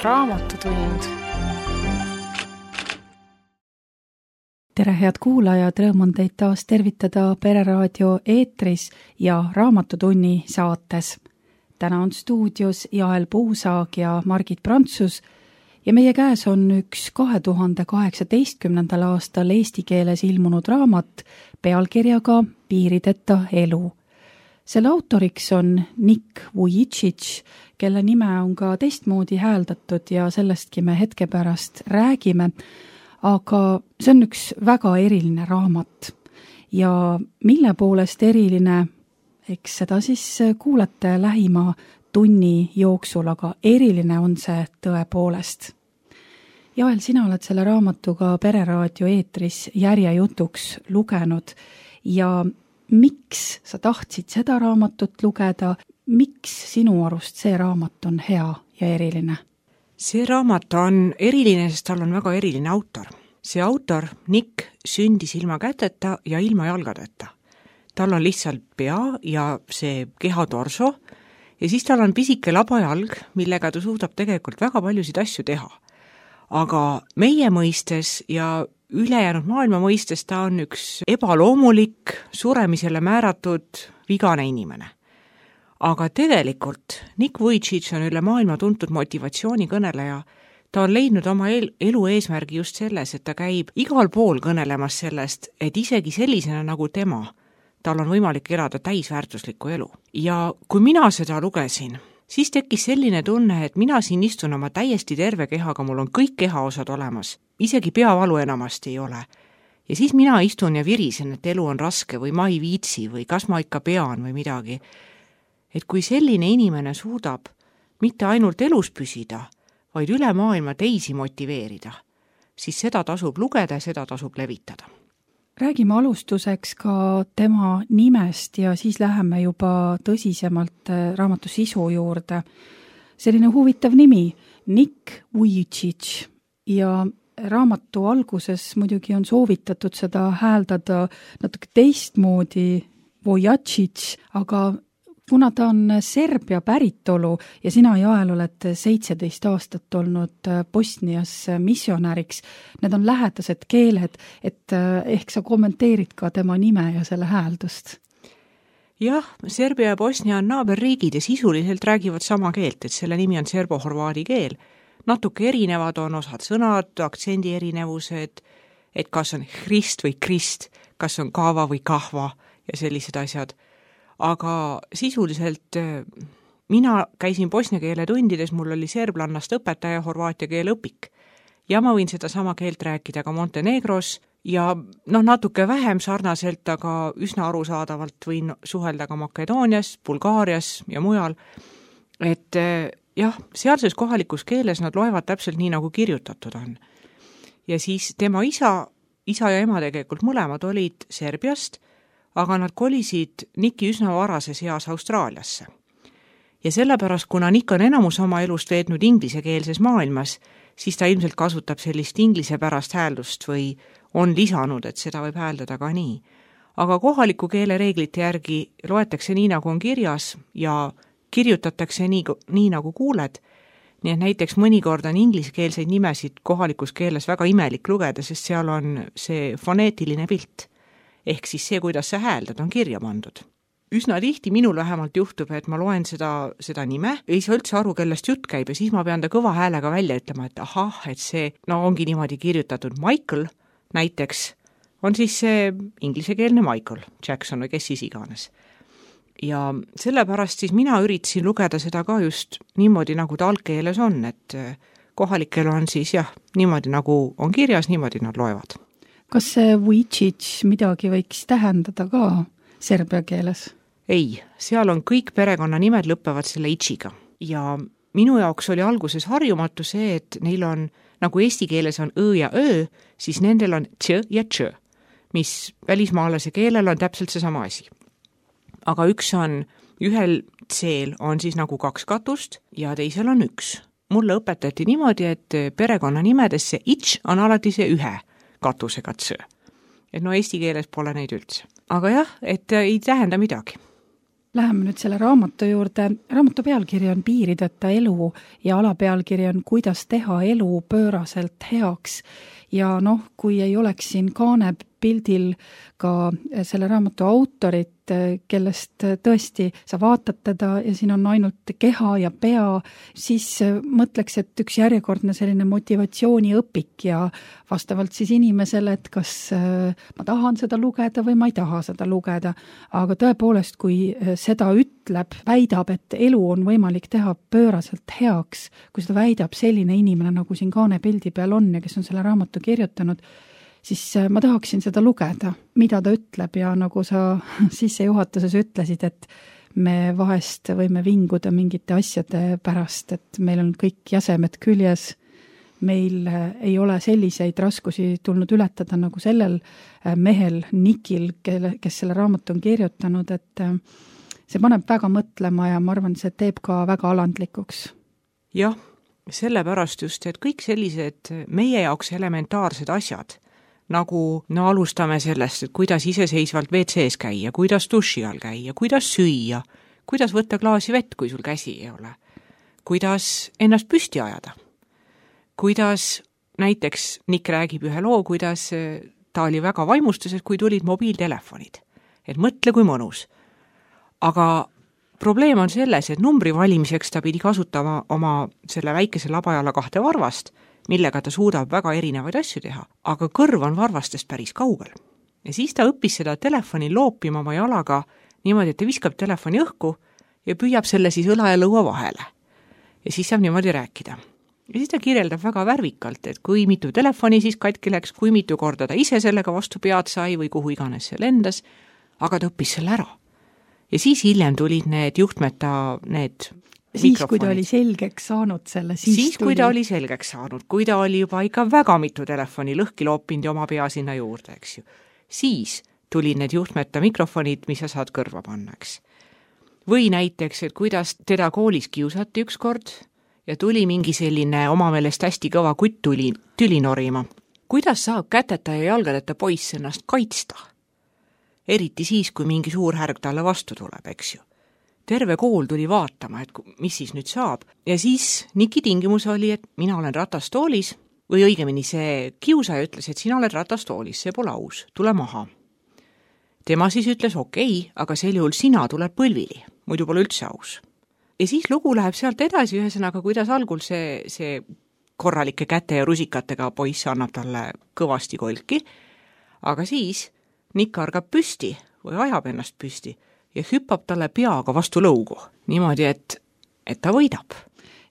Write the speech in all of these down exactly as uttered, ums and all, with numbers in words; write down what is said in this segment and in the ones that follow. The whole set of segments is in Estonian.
raamatutund. tere, head kuulajad, rõõm on teid taas tervitada Pereraadio eetris ja Raamatutunni saates. Täna on stuudios Jael Puusaag ja Margit Prantsus ja meie käes on üks kahe tuhande kaheksateistkümnendal aastal eesti keeles ilmunud raamat pealkirjaga Piirideta elu. Selle autoriks on Nick Vujicic, kelle nime on ka teistmoodi hääldatud ja sellestki me hetke pärast räägime, aga see on üks väga eriline raamat ja mille poolest eriline, eks seda siis kuulete lähima tunni jooksul, aga eriline on see tõepoolest. Jael, sina oled selle raamatuga Pereraadio eetris järjejutuks lugenud ja miks sa tahtsid seda raamatut lugeda, miks sinu arust see raamat on hea ja eriline? See raamat on eriline, sest tal on väga eriline autor. See autor, Nick, sündis ilma käteta ja ilma jalgadeta. Tal on lihtsalt pea ja see kehatorso ja siis tal on pisike labajalg, millega ta suudab tegelikult väga paljusid asju teha. Aga meie mõistes ja ülejäänud maailma mõistes ta on üks ebaloomulik, suremisele määratud vigane inimene. Aga tegelikult Nick Vujicic on üle maailma tuntud motivatsioonikõneleja. Ta on leidnud oma elu eesmärgi just selles, et ta käib igal pool kõnelemas sellest, et isegi sellisena nagu tema, tal on võimalik elada täisväärtuslikku elu. Ja kui mina seda lugesin, siis tekkis selline tunne, et mina siin istun oma täiesti terve kehaga, mul on kõik kehaosad olemas, isegi peavalu enamasti ei ole. Ja siis mina istun ja virisen, et elu on raske või ma ei viitsi või kas ma ikka pean või midagi. Et kui selline inimene suudab mitte ainult elus püsida, vaid üle maailma teisi motiveerida, siis seda tasub lugeda ja seda tasub levitada. Räägime alustuseks ka tema nimest ja siis läheme juba tõsisemalt raamatu sisu juurde. Selline huvitav nimi, Nick Vujicic, ja raamatu alguses muidugi on soovitatud seda hääldada natuke teistmoodi Vujicic, aga kuna ta on Serbia päritolu ja sina, Jael, oled seitseteist aastat olnud Bosnias missionäriks, need on lähedased keeled, et ehk sa kommenteerid ka tema nime ja selle hääldust? Jah, Serbia ja Bosnia on naaberriigid ja sisuliselt räägivad sama keelt, et selle nimi on serbo-horvaadi keel. Natuke erinevad on osad sõnad, aktsendi erinevused, et kas on hrist või krist, kas on kaava või kahva ja sellised asjad. Aga sisuliselt mina käisin bosnia keele tundides, mul oli serblannast õpetaja horvaatia keele õpik. Ja ma võin seda sama keelt rääkida ka Montenegros ja noh, natuke vähem sarnaselt, aga üsna arusaadavalt võin suhelda ka Makedoonias, Bulgaarias ja mujal. Et jah, sealses kohalikus keeles nad loevad täpselt nii, nagu kirjutatud on. Ja siis tema isa, isa ja ema tegelikult mõlemad olid Serbiast, aga nad kolisid Nicki üsna varases eas Austraaliasse. Ja sellepärast, kuna Nick on enamus oma elust veetnud inglisekeelses maailmas, siis ta ilmselt kasutab sellist inglise pärast hääldust või on lisanud, et seda võib hääldada ka nii. Aga kohaliku keele reeglite järgi loetakse nii, nagu on kirjas ja kirjutatakse nii, nii nagu kuuled. Nii et näiteks mõnikord on ingliskeelseid nimesid kohalikus keeles väga imelik lugeda, sest seal on see foneetiline pilt. Ehk siis see, kuidas sa hääldad, on kirja pandud. Üsna tihti minul vähemalt juhtub, et ma loen seda, seda nime, ei saa üldse aru, kellest jutt käib ja siis ma pean ta kõva häälega välja ütlema, et ahah, et see no ongi niimoodi kirjutatud. Michael näiteks on siis see inglisekeelne Michael Jackson või kes siis iganes. Ja sellepärast siis mina üritasin lugeda seda ka just niimoodi, nagu ta algkeeles on, et kohalikel on siis jah, niimoodi nagu on kirjas, niimoodi nad loevad. Kas see Vujicic midagi võiks tähendada ka serbia keeles? Ei, seal on kõik perekonnanimed lõppevad selle itsiga. Ja minu jaoks oli alguses harjumatu see, et neil on, nagu eesti keeles on õ ja ö, siis nendel on tš ja tš, mis välismaalase keelel on täpselt see sama asi. Aga üks on, ühel tseel on siis nagu kaks katust ja teisel on üks. Mulle õpetati niimoodi, et perekonnanimedes see its on alati see ühe katusega tš. Et no eesti keeles pole neid üldse. Aga jah, et ei tähenda midagi. Läheme nüüd selle raamatu juurde. Raamatu pealkiri on Piirideta elu ja alapealkiri on Kuidas teha elu pööraselt heaks. Ja noh, kui ei oleks siin kaane pildil ka selle raamatu autorit, kellest tõesti sa vaatad teda ja siin on ainult keha ja pea, siis mõtleks, et üks järjekordne selline motivatsiooniõpik ja vastavalt siis inimesele, et kas ma tahan seda lugeda või ma ei taha seda lugeda. Aga tõepoolest, kui seda ütleb, väidab, et elu on võimalik teha pööraselt heaks, kui seda väidab selline inimene, nagu siin kaane pildi peal on ja kes on selle raamatu kirjutanud, siis ma tahaksin seda lugeda, mida ta ütleb ja nagu sa sissejuhatuses ütlesid, et me vahest võime vinguda mingite asjade pärast, et meil on kõik jäsemed küljes, meil ei ole selliseid raskusi tulnud ületada nagu sellel mehel Nikil, kelle, kes selle raamatu on kirjutanud, et see paneb väga mõtlema ja ma arvan, see teeb ka väga alandlikuks. Jah, sellepärast just, et kõik sellised meie jaoks elementaarsed asjad, nagu no alustame sellest, et kuidas iseseisvalt ve ce es käia, kuidas duši all käia, kuidas süüa, kuidas võtta klaasi vett, kui sul käsi ei ole, kuidas ennast püsti ajada, kuidas näiteks Nick räägib ühe loo, kuidas ta oli väga vaimustuses, kui tulid mobiiltelefonid, et mõtle kui mõnus. Aga probleem on selles, et numbri valimiseks ta pidi kasutama oma selle väikese labajala kahte varvast, millega ta suudab väga erinevaid asju teha, aga kõrv on varvastest päris kaugel. Ja siis ta õppis seda telefoni loopima oma jalaga niimoodi, et ta viskab telefoni õhku ja püüab selle siis õla ja lõua vahele. Ja siis saab niimoodi rääkida. Ja siis ta kirjeldab väga värvikalt, et kui mitu telefoni siis katki läks, kui mitu korda ta ise sellega vastu pead sai või kuhu iganes see lendas, aga ta õppis selle ära. Ja siis hiljem tulid need juhtmeta, need siis, kui ta oli selgeks saanud selle, siis, siis tuli... kui ta oli selgeks saanud, kui ta oli juba ikka väga mitu telefoni lõhki loopinud ja oma pea sinna juurde, eks ju. Siis tulid need juhtmeta mikrofonid, mis sa saad kõrva panna, eks. Või näiteks, et kuidas teda koolis kiusati üks kord ja tuli mingi selline oma meelest hästi kõva kutt tuli, tüli norima. Kuidas saab käteta ja jalgadeta poiss ennast kaitsta? Eriti siis, kui mingi suur härg talle vastu tuleb, eks ju. Terve kool tuli vaatama, et mis siis nüüd saab. Ja siis Niki tingimus oli, et mina olen ratastoolis, või õigemini see kiusaja ütles, et sina oled ratastoolis, see pole aus, tule maha. Tema siis ütles, okei, aga sel juhul sina tuleb põlvili, muidu pole üldse aus. Ja siis lugu läheb sealt edasi ühesõnaga, kuidas algul see, see korralike käte ja rusikatega poiss annab talle kõvasti kolki, aga siis Nik argab püsti või ajab ennast püsti ja hüppab talle peaga vastu lõugu, niimoodi, et, et ta võidab.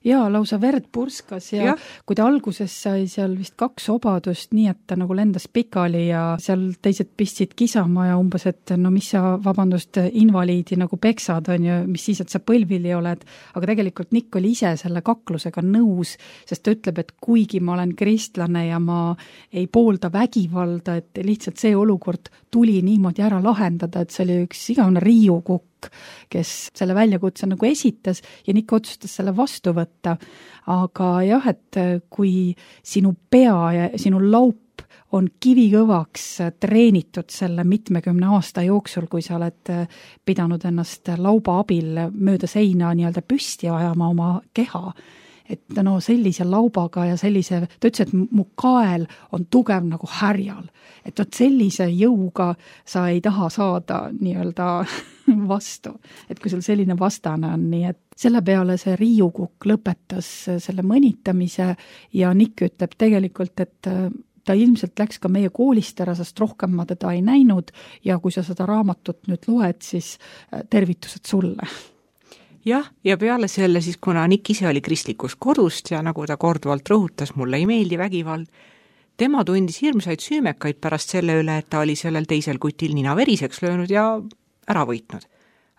Jaa, lausa verd purskas ja, ja kui ta alguses sai seal vist kaks obadust, nii et ta nagu lendas pikali ja seal teised pistsid kisama ja umbes, et no mis sa, vabandust, invaliidi nagu peksad on ju, mis siis, et sa põlvili oled, aga tegelikult Nick oli ise selle kaklusega nõus, sest ta ütleb, et kuigi ma olen kristlane ja ma ei poolda vägivalda, et lihtsalt see olukord tuli niimoodi ära lahendada, et see oli üks igavene riiukukk, kes selle väljakutse nagu esitas ja Nick otsustas selle vastu võtta. Aga jah, et kui sinu pea ja sinu laup on kivikõvaks treenitud selle mitmekümne aasta jooksul, kui sa oled pidanud ennast lauba abil mööda seina nii-öelda püsti ajama oma keha, et no sellise laubaga ja sellise, ta ütles, et mu kael on tugev nagu härjal, et vot sellise jõuga sa ei taha saada nii-öelda vastu, et kui sul selline vastane on, nii et selle peale see riiukukk lõpetas selle mõnitamise ja Nick ütleb tegelikult, et ta ilmselt läks ka meie koolist ära, sest rohkem ma teda ei näinud ja kui sa seda raamatut nüüd loed, siis tervitused sulle. Jah, ja peale selle siis, kuna Nick ise oli kristlikust kodust ja nagu ta korduvalt rõhutas, mulle ei meeldi vägivald, tema tundis hirmsaid süümekaid pärast selle üle, et ta oli sellel teisel kutil nina veriseks löönud ja ära võitnud.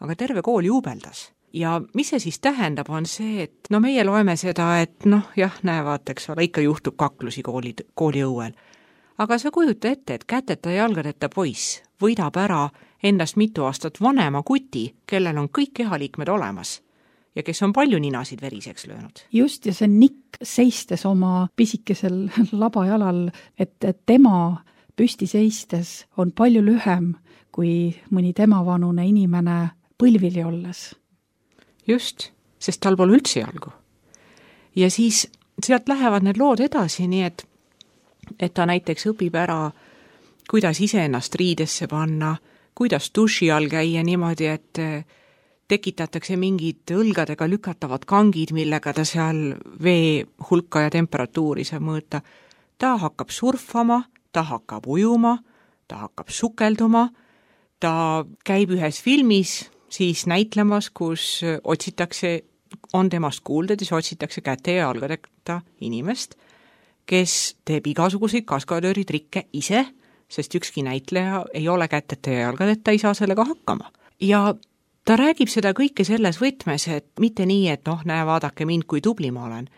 Aga terve kool juubeldas. Ja mis see siis tähendab, on see, et no meie loeme seda, et noh, jah, näe, vaataks ole, ikka juhtub kaklusi kooli, kooli õuel. Aga sa kujuta ette, et käteta ja jalgadeta poiss võidab ära endast mitu aastat vanema kuti, kellel on kõik kehaliikmed olemas ja kes on palju ninasid veriseks löönud. Just, ja see Nick seistes oma pisikesel labajalal, et, et tema püsti seistes on palju lühem kui mõni tema vanune inimene põlvili olles. Just, sest tal pole üldse jalgu. Ja siis sealt lähevad need lood edasi, nii et, et ta näiteks õpib ära, kuidas iseennast riidesse panna, kuidas duši all käia niimoodi, et tekitatakse mingid õlgadega lükatavad kangid, millega ta seal vee hulka ja temperatuuri saab mõõta. Ta hakkab surfama, ta hakkab ujuma, ta hakkab sukelduma, ta käib ühes filmis, siis näitlemas, kus otsitakse, on temast kuulda, siis otsitakse käte ja jalgadeta inimest, kes teeb igasuguseid kaskadööritrikke ise, sest ükski näitleja ei ole kätete ja jalgadeta, ei saa sellega hakkama. Ja ta räägib seda kõike selles võtmes, et mitte nii, et noh, näe, vaadake mind, kui tubli ma olen,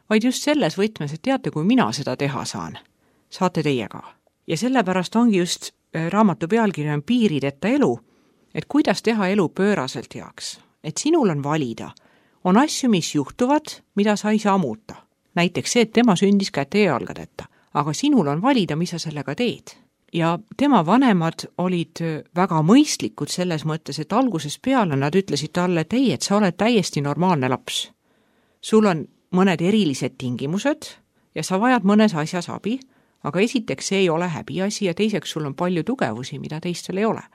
vaid just selles võtmes, et teate, kui mina seda teha saan, saate teie ka. Ja sellepärast ongi just raamatu pealkiri on Piirideta elu, et kuidas teha elu pööraselt heaks. Et sinul on valida. On asju, mis juhtuvad, mida sa ei saa muuta. Näiteks see, et tema sündis käte ja jalgadeta. Aga sinul on valida, mis sa sellega teed. Ja tema vanemad olid väga mõistlikud selles mõttes, et alguses peale nad ütlesid talle, et ei, et sa oled täiesti normaalne laps. Sul on mõned erilised tingimused ja sa vajad mõnes asjas abi, aga esiteks see ei ole häbiasi ja teiseks sul on palju tugevusi, mida teistel ei ole.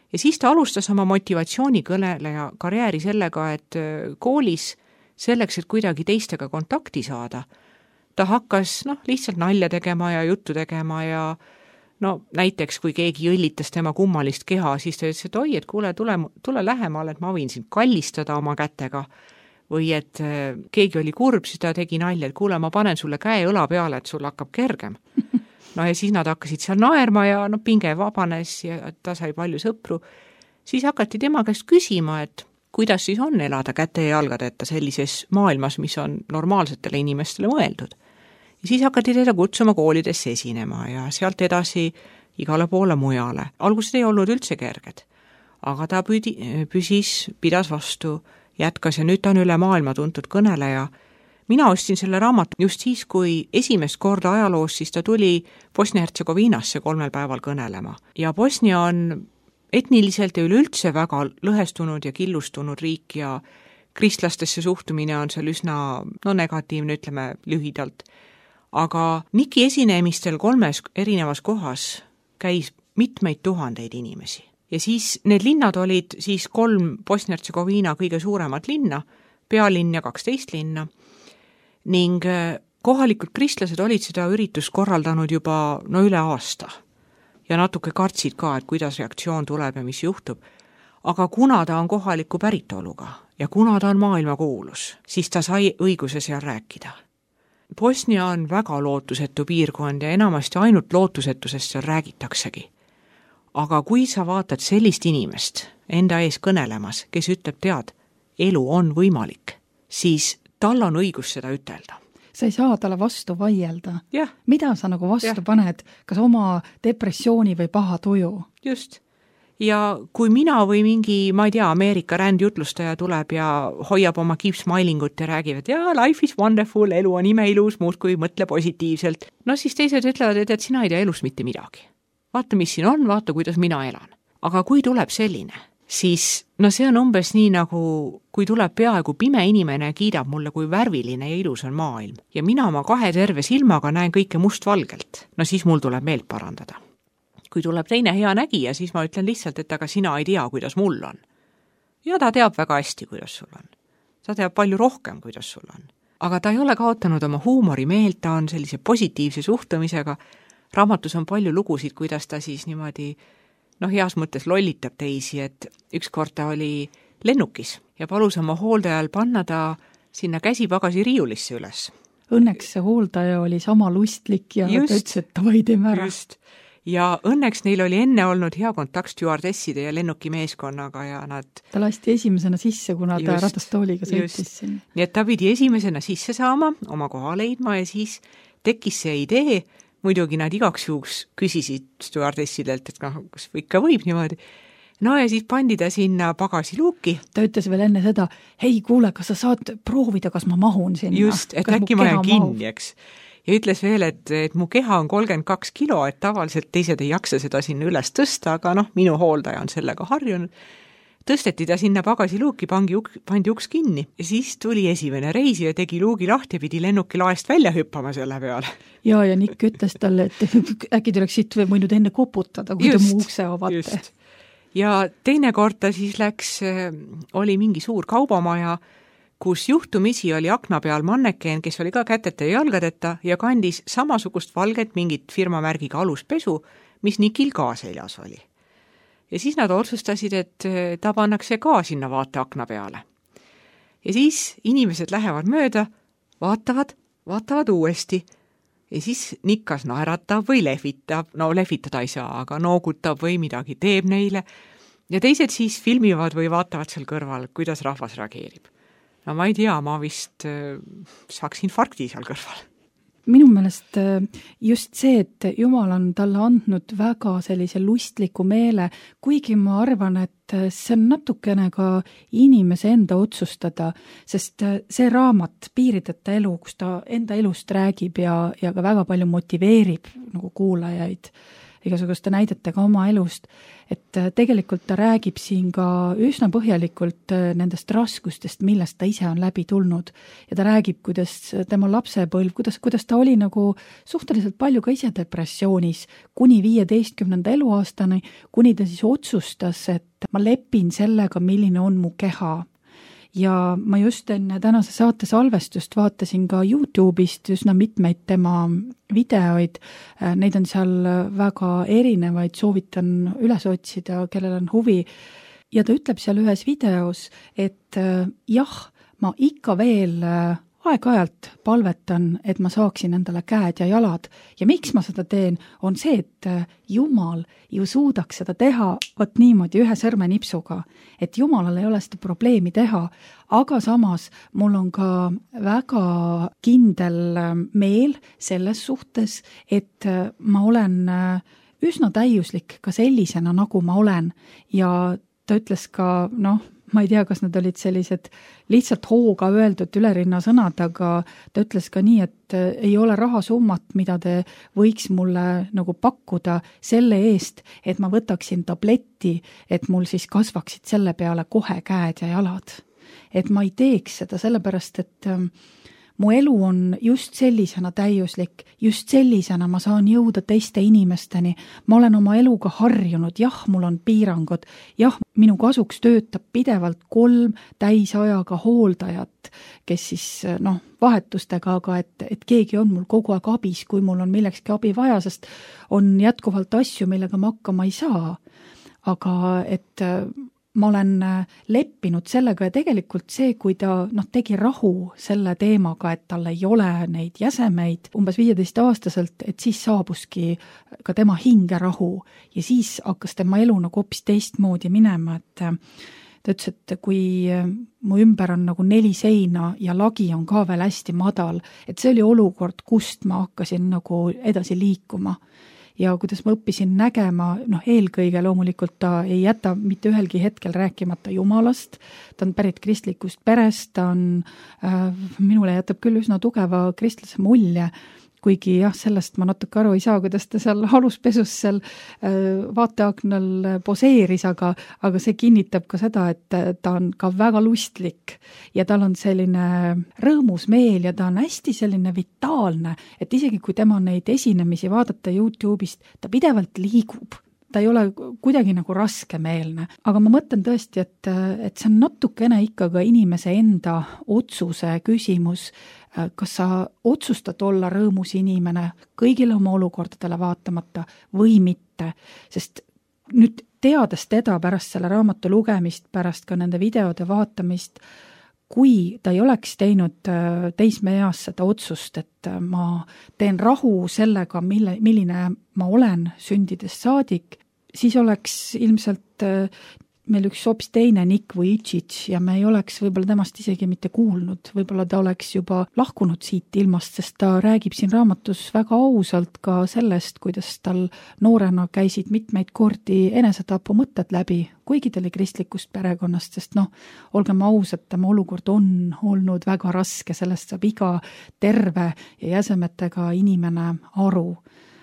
Ja siis ta alustas oma motivatsioonikõneleja karjääri sellega, et koolis selleks, et kuidagi teistega kontakti saada, ta hakkas noh, lihtsalt nalja tegema ja juttu tegema ja no näiteks, kui keegi õllitas tema kummalist keha, siis ta ütles, et oi, et kuule, tule, tule lähemale, et ma võin sind kallistada oma kätega. Või et keegi oli kurb, siis ta tegi nalja, et kuule, ma panen sulle käe õla peale, et sul hakkab kergem. No ja siis nad hakkasid seal naerma ja no pinge vabanes ja ta sai palju sõpru. Siis hakati tema käest küsima, et kuidas siis on elada käte ja jalgadeta sellises maailmas, mis on normaalsetele inimestele mõeldud. Ja siis hakati teda kutsuma koolidesse esinema ja sealt edasi igale poole mujale. Algused ei olnud üldse kerged, aga ta püdi, püsis, pidas vastu, jätkas ja nüüd ta on üle maailma tuntud kõneleja. Mina ostsin selle raamatu just siis, kui esimest korda ajaloos, siis ta tuli Bosnia-Hertsegoviinasse kolmel päeval kõnelema. Ja Bosnia on etniliselt ja üleüldse väga lõhestunud ja killustunud riik ja kristlastesse suhtumine on seal üsna no, negatiivne, ütleme lühidalt. Aga Niki esinemistel kolmes erinevas kohas käis mitmeid tuhandeid inimesi. Ja siis need linnad olid siis kolm Bosnia-Hertsegoviina kõige suuremat linna, pealinn ja kaksteist linna, ning kohalikud kristlased olid seda üritust korraldanud juba no üle aasta. Ja natuke kartsid ka, et kuidas reaktsioon tuleb ja mis juhtub. Aga kuna ta on kohaliku päritoluga ja kuna ta on maailmakuulus, siis ta sai õiguse seal rääkida. Bosnia on väga lootusetu piirkond ja enamasti ainult lootusetusest seal räägitaksegi. Aga kui sa vaatad sellist inimest enda ees kõnelemas, kes ütleb, tead, elu on võimalik, siis tal on õigus seda ütelda. Sa ei saa talle vastu vaielda. Ja. Mida sa nagu vastu ja. paned, kas oma depressiooni või paha tuju? Just. Ja kui mina või mingi, ma ei tea, Ameerika rändjutlustaja tuleb ja hoiab oma keep smilingut ja räägib, et jaa, life is wonderful, elu on imeilus, muud kui mõtle positiivselt. No siis teised ütlevad, et, et sina ei tea elus mitte midagi. Vaata, mis siin on, vaata, kuidas mina elan. Aga kui tuleb selline, siis no see on umbes nii nagu, kui tuleb peaaegu pime inimene ja kiidab mulle, kui värviline ja ilus on maailm. Ja mina oma kahe terve silmaga näen kõike mustvalgelt. No siis mul tuleb meelt parandada. Kui tuleb teine hea nägija, siis ma ütlen lihtsalt, et aga sina ei tea, kuidas mul on. Ja ta teab väga hästi, kuidas sul on. Ta teab palju rohkem, kuidas sul on. Aga ta ei ole kaotanud oma huumori meelt, ta on sellise positiivse suhtumisega. Raamatus on palju lugusid, kuidas ta siis niimoodi, noh, heas mõttes lollitab teisi, et ükskord ta oli lennukis ja palus oma hooldajal panna ta sinna käsipagasi riiulisse üles. Õnneks see hooldaja oli sama lustlik ja just, ta ütles, et ta või teeme ära. Just. Ja õnneks neil oli enne olnud hea kontakt stjuardesside ja lennuki meeskonnaga ja nad... Ta lasti esimesena sisse, kuna ta just, ratastooliga sõitis sinna. Nii et ta pidi esimesena sisse saama, oma koha leidma ja siis tekkis see idee, muidugi nad igaks juhuks küsisid stjuardessidelt, et noh, kas ikka võib niimoodi. No ja siis pandi ta sinna pagasiluuki. Ta ütles veel enne seda, hei kuule, kas sa saad proovida, kas ma mahun sinna? Just, et kas äkki ma jään kinni, eks. Ja ütles veel, et, et mu keha on kolmkümmend kaks kilo, et tavaliselt teised ei jaksa seda sinna üles tõsta, aga noh, minu hooldaja on sellega harjunud. tõsteti ta sinna pagasiluuki, pangi, pandi uks kinni ja siis tuli esimene reisija, tegi luugi lahti ja pidi lennuki laest välja hüppama selle peale. Ja, ja Nick ütles talle, et äkki tuleks siit või võinud enne koputada, kui just, ta mu ukse avate. Ja teine kord ta siis läks, oli mingi suur kaubamaja, kus juhtumisi oli akna peal mannekeen, kes oli ka käteta ja jalgadeta ja kandis samasugust valget mingit firmamärgiga aluspesu, mis Nikil ka seljas oli. Ja siis nad otsustasid, et ta pannakse ka sinna vaateakna peale. Ja siis inimesed lähevad mööda, vaatavad, vaatavad uuesti. Ja siis Nikkas naeratab või lehvitab, no lehvitada ei saa, aga noogutab või midagi teeb neile. Ja teised siis filmivad või vaatavad seal kõrval, kuidas rahvas reageerib. No ma ei tea, ma vist saaks infarkti seal kõrval. Minu meelest just see, et Jumal on talle andnud väga sellise lustliku meele, kuigi ma arvan, et see on natukene ka inimese enda otsustada, sest see raamat Piirideta elu, kus ta enda elust räägib ja, ja ka väga palju motiveerib nagu kuulajaid igasuguste näidetega oma elust, et tegelikult ta räägib siin ka üsna põhjalikult nendest raskustest, millest ta ise on läbi tulnud. Ja ta räägib, kuidas tema lapsepõlv, kuidas, kuidas ta oli nagu suhteliselt palju ka ise depressioonis kuni viieteistkümnenda eluaastani, kuni ta siis otsustas, et ma lepin sellega, milline on mu keha. Ja ma just enne tänase saate salvestust vaatasin ka YouTube'ist üsna mitmeid tema videoid. Neid on seal väga erinevaid, soovitan üles otsida, kellel on huvi. Ja ta ütleb seal ühes videos, et jah, ma ikka veel aeg-ajalt palvetan, et ma saaksin endale käed ja jalad. Ja miks ma seda teen, on see, et Jumal ju suudaks seda teha võt niimoodi ühe sõrmenipsuga, et Jumalal ei ole seda probleemi teha, aga samas mul on ka väga kindel meel selles suhtes, et ma olen üsna täiuslik ka sellisena, nagu ma olen. Ja ta ütles ka, noh, ma ei tea, kas nad olid sellised lihtsalt hooga öeldud ülerinna sõnad, aga ta ütles ka nii, et ei ole rahasummat, mida te võiks mulle nagu pakkuda selle eest, et ma võtaksin tabletti, et mul siis kasvaksid selle peale kohe käed ja jalad. Et ma ei teeks seda sellepärast, et mu elu on just sellisena täiuslik, just sellisena ma saan jõuda teiste inimesteni. Ma olen oma eluga harjunud, jah, mul on piirangud, jah, minu kasuks töötab pidevalt kolm täisajaga hooldajat, kes siis, noh, vahetustega, aga et, et keegi on mul kogu aeg abis, kui mul on millekski abi vaja, sest on jätkuvalt asju, millega ma hakkama ei saa. Aga et ma olen leppinud sellega ja tegelikult see, kui ta noh, tegi rahu selle teemaga, et tal ei ole neid jäsemeid umbes viieteist aastaselt, et siis saabuski ka tema hingerahu ja siis hakkas tema elu nagu hoopis teistmoodi minema, et ta ütles, et kui mu ümber on nagu neli seina ja lagi on ka veel hästi madal, et see oli olukord, kust ma hakkasin nagu edasi liikuma. Ja kuidas ma õppisin nägema, noh eelkõige loomulikult ta ei jäta mitte ühelgi hetkel rääkimata Jumalast, ta on pärit kristlikust perest, ta on, äh, minule jätab küll üsna tugeva kristlase mulje, kuigi jah, sellest ma natuke aru ei saa, kuidas ta seal aluspesus seal vaateaknal poseeris, aga, aga see kinnitab ka seda, et ta on ka väga lustlik ja tal on selline rõõmus meel ja ta on hästi selline vitaalne, et isegi kui tema neid esinemisi vaadata YouTube'ist, ta pidevalt liigub. Ta ei ole kuidagi nagu raskemeelne, aga ma mõtlen tõesti, et, et see on natukene ikka ka inimese enda otsuse küsimus, kas sa otsustad olla rõõmus inimene kõigile oma olukordadele vaatamata või mitte, sest nüüd teades teda pärast selle raamatu lugemist, pärast ka nende videode vaatamist, kui ta ei oleks teinud teismeeas seda otsust, et ma teen rahu sellega, mille, milline ma olen sündides saadik, siis oleks ilmselt meil üks hoopis teine Nick Vujicic ja me ei oleks võib-olla temast isegi mitte kuulnud, võib-olla ta oleks juba lahkunud siit ilmast, sest ta räägib siin raamatus väga ausalt ka sellest, kuidas tal noorena käisid mitmeid kordi enesetapu mõtted läbi, kuigi ta oli kristlikust perekonnast, sest noh, olgem ausad, tema olukord on olnud väga raske, sellest saab iga terve ja jäsemetega inimene aru.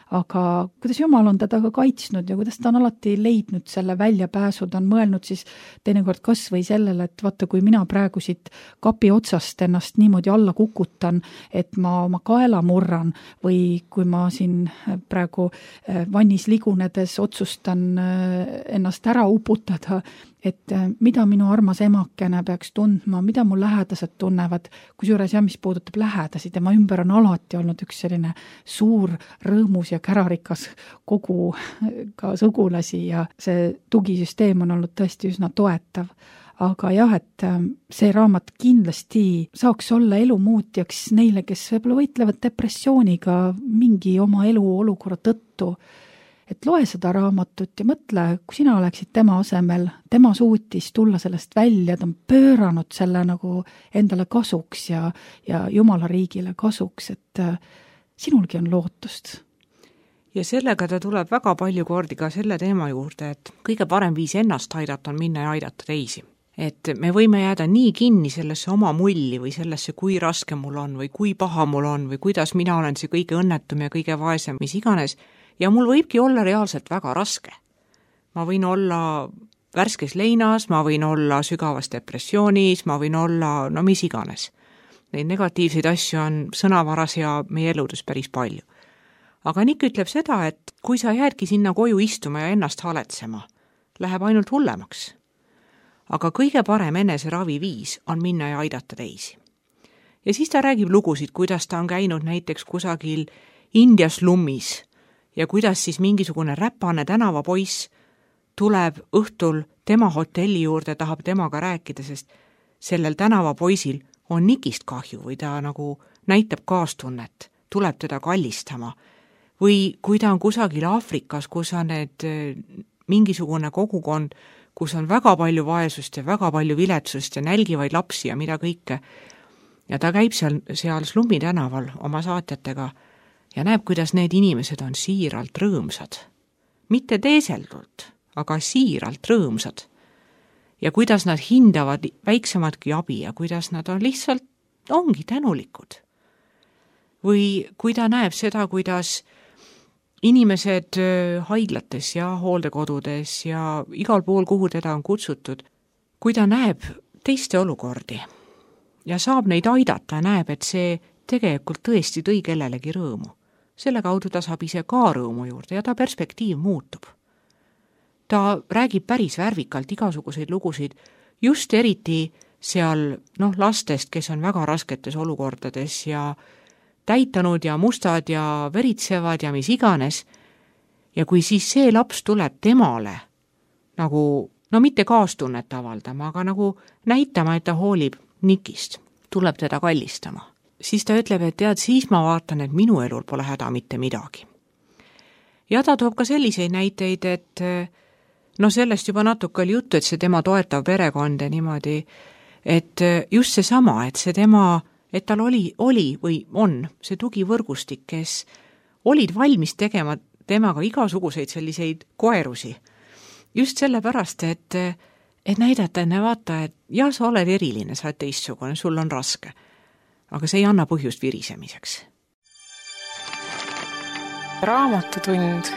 aga kuidas Jumal on teda ka kaitsnud ja kuidas ta on alati leidnud selle väljapääsu, ta on mõelnud siis teinekord kas või sellele, et vaata, kui mina praegu siit kapi otsast ennast niimoodi alla kukutan, et ma oma kaela murran või kui ma siin praegu vannis ligunedes otsustan ennast ära uputada, et mida minu armas emakene peaks tundma, mida mu lähedased tunnevad, kusjuures ja mis puudutab lähedasi, tema ümber on alati olnud üks selline suur rõõmus ja kärarikas kogu ka sugulasi ja see tugisüsteem on olnud tõesti üsna toetav. Aga jah, et see raamat kindlasti saaks olla elumuutjaks neile, kes võib-olla võitlevad depressiooniga mingi oma elu olukorra tõttu. Et loe seda raamatut ja mõtle, kui sina oleksid tema asemel, tema suutis tulla sellest välja, ta on pööranud selle nagu endale kasuks ja, ja Jumala riigile kasuks, et sinulgi on lootust. Ja sellega ta tuleb väga palju kordi ka selle teema juurde, et kõige parem viis ennast aidata on minna ja aidata teisi. Et me võime jääda nii kinni sellesse oma mulli või sellesse, kui raske mul on või kui paha mul on või kuidas mina olen see kõige õnnetum ja kõige vaesem, mis iganes, ja mul võibki olla reaalselt väga raske. Ma võin olla värskes leinas, ma võin olla sügavas depressioonis, ma võin olla no mis iganes. Neid negatiivseid asju on sõnavaras ja meie eludes päris palju. Aga Nick ütleb seda, et kui sa jäädki sinna koju istuma ja ennast haletsema, läheb ainult hullemaks. Aga kõige parem eneseravi viis on minna ja aidata teisi. Ja siis ta räägib lugusid, kuidas ta on käinud näiteks kusagil Indias lummis ja kuidas siis mingisugune räpane tänavapoiss tuleb õhtul tema hotelli juurde, tahab temaga rääkida, sest sellel tänavapoisil on Nickist kahju või ta nagu näitab kaastunnet, tuleb teda kallistama. Või kui ta on kusagil Aafrikas, kus on need mingisugune kogukond, kus on väga palju vaesust ja väga palju viletsust ja nälgivaid lapsi ja mida kõike. Ja ta käib seal, seal slummi tänaval oma saatjatega ja näeb, kuidas need inimesed on siiralt rõõmsad. Mitte teeseldult, aga siiralt rõõmsad. Ja kuidas nad hindavad väiksematki abi ja kuidas nad on lihtsalt, ongi tänulikud. Või kui ta näeb seda, kuidas inimesed haiglates ja hooldekodudes ja igal pool, kuhu teda on kutsutud, kui ta näeb teiste olukordi ja saab neid aidata, näeb, et see tegelikult tõesti tõi kellelegi rõõmu. Selle kaudu ta saab ise ka rõõmu juurde ja ta perspektiiv muutub. Ta räägib päris värvikalt igasuguseid lugusid, just eriti seal noh, lastest, kes on väga rasketes olukordades ja täitanud ja mustad ja veritsevad ja mis iganes. Ja kui siis see laps tuleb temale nagu, no mitte kaastunnet avaldama, aga nagu näitama, et ta hoolib Nickist, tuleb teda kallistama, siis ta ütleb, et tead, siis ma vaatan, et minu elul pole häda mitte midagi. Ja ta toob ka selliseid näiteid, et no sellest juba natuke oli juttu, et see tema toetav perekond ja niimoodi, et just see sama, et see tema et tal oli, oli või on see tugivõrgustik, kes olid valmis tegema temaga igasuguseid selliseid koerusi. Just sellepärast, et, et näidata enne vaata, et jah, sa oled eriline, sa oled teistsugune, sul on raske. Aga see ei anna põhjust virisemiseks. Raamatutund.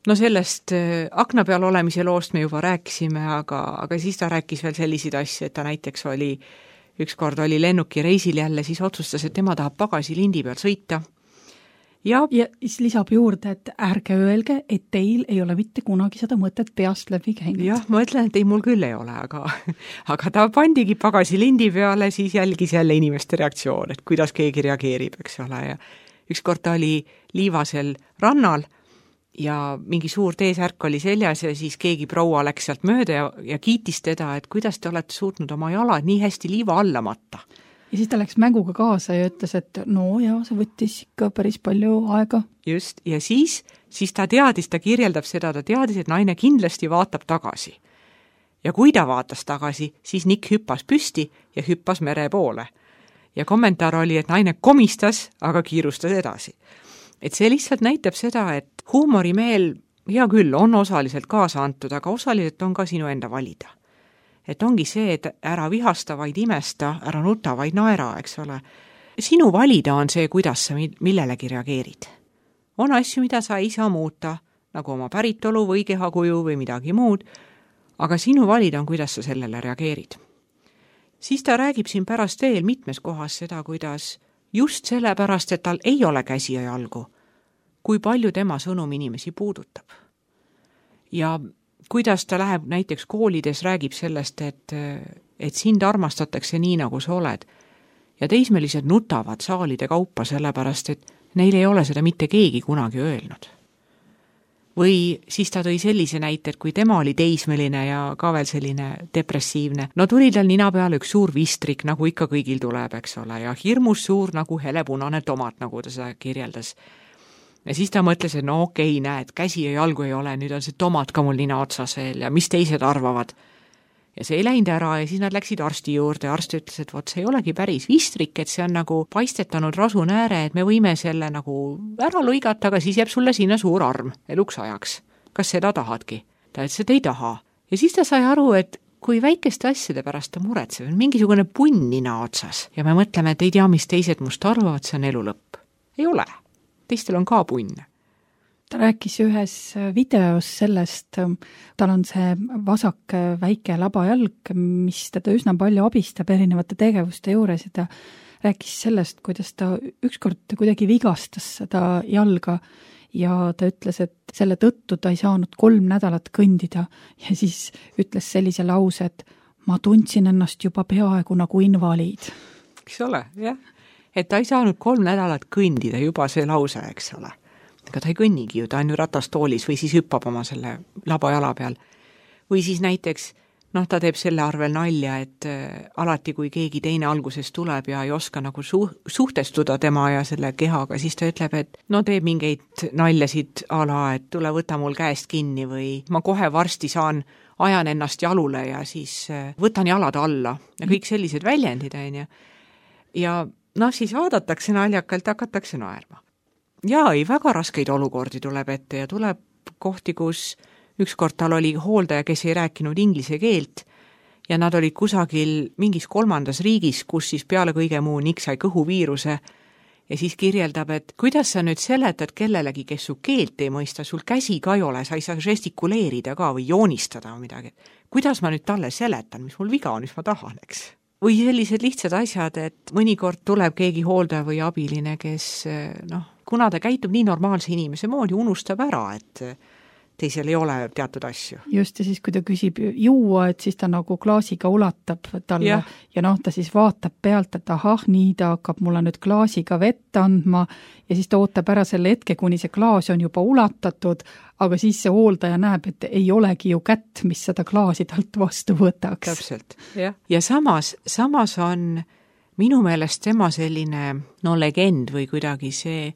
No sellest akna peal olemise loost me juba rääkisime, aga, aga siis ta rääkis veel selliseid asju, et ta näiteks oli, ükskord oli lennuki reisil jälle, siis otsustas, et tema tahab pagasi lindi peal sõita. Ja, ja siis lisab juurde, et ärge öelge, et teil ei ole mitte kunagi seda mõtet peast läbi käinud. Jah, ma ütlen, et ei, mul küll ei ole, aga, aga ta pandigi pagasi lindi peale, siis jälgis jälle inimeste reaktsioon, et kuidas keegi reageerib, eks ole. Ja ükskord ta oli liivasel rannal, ja mingi suur teesärk oli seljas ja siis keegi proua läks sealt mööda ja, ja kiitis teda, et kuidas te olete suutnud oma jalad nii hästi liiva alla matta. Ja siis ta läks mänguga kaasa ja ütles, et no jaa, see võttis ikka päris palju aega. Just, ja siis, siis ta teadis, ta kirjeldab seda, ta teadis, et naine kindlasti vaatab tagasi. Ja kui ta vaatas tagasi, siis Nick hüppas püsti ja hüppas mere poole. Ja kommentaar oli, et naine komistas, aga kiirustas edasi. Et see lihtsalt näitab seda, et huumorimeel, hea küll, on osaliselt kaasa antud, aga osaliselt on ka sinu enda valida. Et ongi see, et ära vihasta, vaid imesta, ära nuta, vaid naera, eks ole. sinu valida on see, kuidas sa millelegi reageerid. On asju, mida sa ei saa muuta, nagu oma päritolu või kehakuju või midagi muud, aga sinu valida on, kuidas sa sellele reageerid. Siis ta räägib siin pärast veel mitmes kohas seda, kuidas just sellepärast, et tal ei ole käsi ja jalgu, kui palju tema sõnum inimesi puudutab. Ja kuidas ta läheb näiteks koolides, räägib sellest, et, et sind armastatakse nii, nagu sa oled. Ja teismelised nutavad saalide kaupa sellepärast, et neil ei ole seda mitte keegi kunagi öelnud. Või siis ta tõi sellise näite, et kui tema oli teismeline ja ka veel selline depressiivne, no tuli tal nina peale üks suur vistrik, nagu ikka kõigil tuleb, eks ole, ja hirmus suur nagu helepunane tomat, nagu ta seda kirjeldas. Ja siis ta mõtles, et no okei, näed, käsi ja jalgu ei ole, nüüd on see tomat ka mul nina otsas veel ja mis teised arvavad. Ja see ei läinud ära ja siis nad läksid arsti juurde ja arst ütles, et vot see ei olegi päris vistrik, et see on nagu paistetanud rasunääre, et me võime selle nagu ära lõigata, aga siis jääb sulle sinna suur arm eluks ajaks. Kas seda tahadki? Ta ütles, et ei taha. Ja siis ta sai aru, et kui väikeste asjade pärast ta muretseb, mingisugune punn nina otsas ja me mõtleme, et ei tea, mis teised must arvavad, see on elu lõpp. Ei ole. Teistel on ka punn. Ta rääkis ühes videos sellest, tal on see vasak väike labajalg, mis teda üsna palju abistab erinevate tegevuste juures ja ta rääkis sellest, kuidas ta ükskord kuidagi vigastas seda jalga ja ta ütles, et selle tõttu ta ei saanud kolm nädalat kõndida ja siis ütles sellise lause, et ma tundsin ennast juba peaaegu nagu invaliid. Eks ole, jah. Et ta ei saanud kolm nädalat kõndida juba see lause, eks ole. Ega ta ei kõnnigi ju, ta on ju ratastoolis või siis hüppab oma selle labajala peal. Või siis näiteks, noh, ta teeb selle arvel nalja, et äh, alati kui keegi teine alguses tuleb ja ei oska nagu su- suhtestuda tema ja selle kehaga, siis ta ütleb, et no teeb mingeid naljasid a la, et tule võta mul käest kinni või ma kohe varsti saan, ajan ennast jalule ja siis äh, võtan jalad alla ja kõik sellised väljendid, on ju. Ja noh, siis vaadatakse naljakalt, hakatakse naerma. Jaa, ei, väga raskeid olukordi tuleb ette ja tuleb kohti, kus ükskord tal oli hooldaja, kes ei rääkinud inglise keelt ja nad olid kusagil mingis kolmandas riigis, kus siis peale kõige muu Nick sai kõhuviiruse ja siis kirjeldab, et kuidas sa nüüd seletad kellelegi, kes su keelt ei mõista, sul käsi ka ei ole, sa ei saa žestikuleerida ka või joonistada või midagi. Kuidas ma nüüd talle seletan, mis mul viga on, mis ma tahan, eks? Või sellised lihtsad asjad, et mõnikord tuleb keegi hooldaja või abiline, kes, noh, kuna ta käitub nii normaalse inimese moodi, unustab ära, et teisel ei ole teatud asju. Just, ja siis kui ta küsib juua, et siis ta nagu klaasiga ulatab talle ja, ja noh, ta siis vaatab pealt, et ahah, nii ta hakkab mulle nüüd klaasiga vett andma ja siis ta ootab ära selle hetke, kuni see klaas on juba ulatatud, aga siis see hooldaja näeb, et ei olegi ju kätt, mis seda klaasi talt vastu võtaks. Täpselt, jah. Ja samas, samas on minu meelest tema selline, no legend või kuidagi see,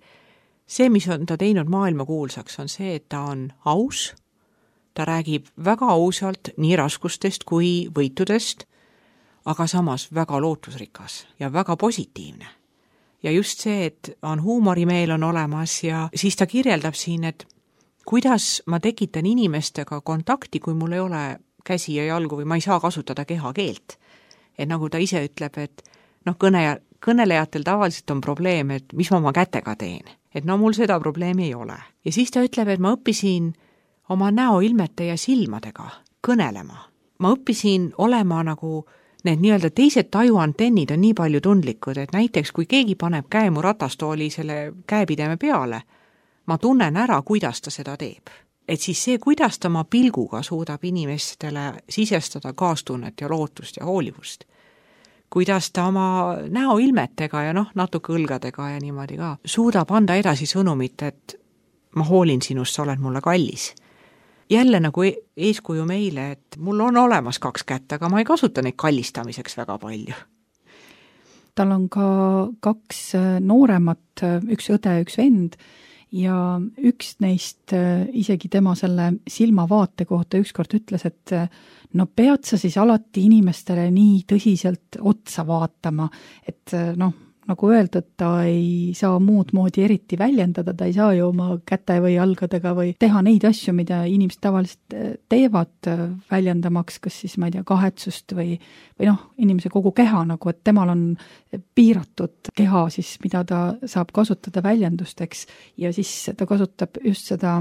see, mis on ta teinud maailma kuulsaks, on see, et ta on aus, ta räägib väga ausalt nii raskustest kui võitudest, aga samas väga lootusrikas ja väga positiivne. Ja just see, et on huumorimeel on olemas ja siis ta kirjeldab siin, et kuidas ma tekitan inimestega kontakti, kui mul ei ole käsi ja jalgu või ma ei saa kasutada kehakeelt. Et nagu ta ise ütleb, et noh, kõne, kõnelejatel tavaliselt on probleem, et mis ma oma kätega teen. Et no mul seda probleemi ei ole. Ja siis ta ütleb, et ma õppisin oma näoilmete ja silmadega kõnelema. Ma õppisin olema nagu need nii-öelda teised tajuantennid on nii palju tundlikud, et näiteks kui keegi paneb käe mu ratastooli selle käepideme peale, ma tunnen ära, kuidas ta seda teeb. Et siis see, kuidas ta oma pilguga suudab inimestele sisestada kaastunnet ja lootust ja hoolivust. Kuidas ta oma näoilmetega ja noh, natuke õlgadega ja niimoodi ka suudab anda edasi sõnumit, et ma hoolin sinust, sa oled mulle kallis. Jälle nagu eeskuju meile, et mul on olemas kaks kätt, aga ma ei kasuta neid kallistamiseks väga palju. Tal on ka kaks nooremat, üks õde, üks vend ja üks neist isegi tema selle silmavaate kohta ükskord ütles, et no pead sa siis alati inimestele nii tõsiselt otsa vaatama, et noh, nagu öeldud, ta ei saa muud moodi eriti väljendada, ta ei saa ju oma käte või jalgadega või teha neid asju, mida inimesed tavaliselt teevad väljendamaks, kas siis, ma ei tea, kahetsust või, või noh, inimese kogu keha nagu, et temal on piiratud keha siis, mida ta saab kasutada väljendusteks ja siis ta kasutab just seda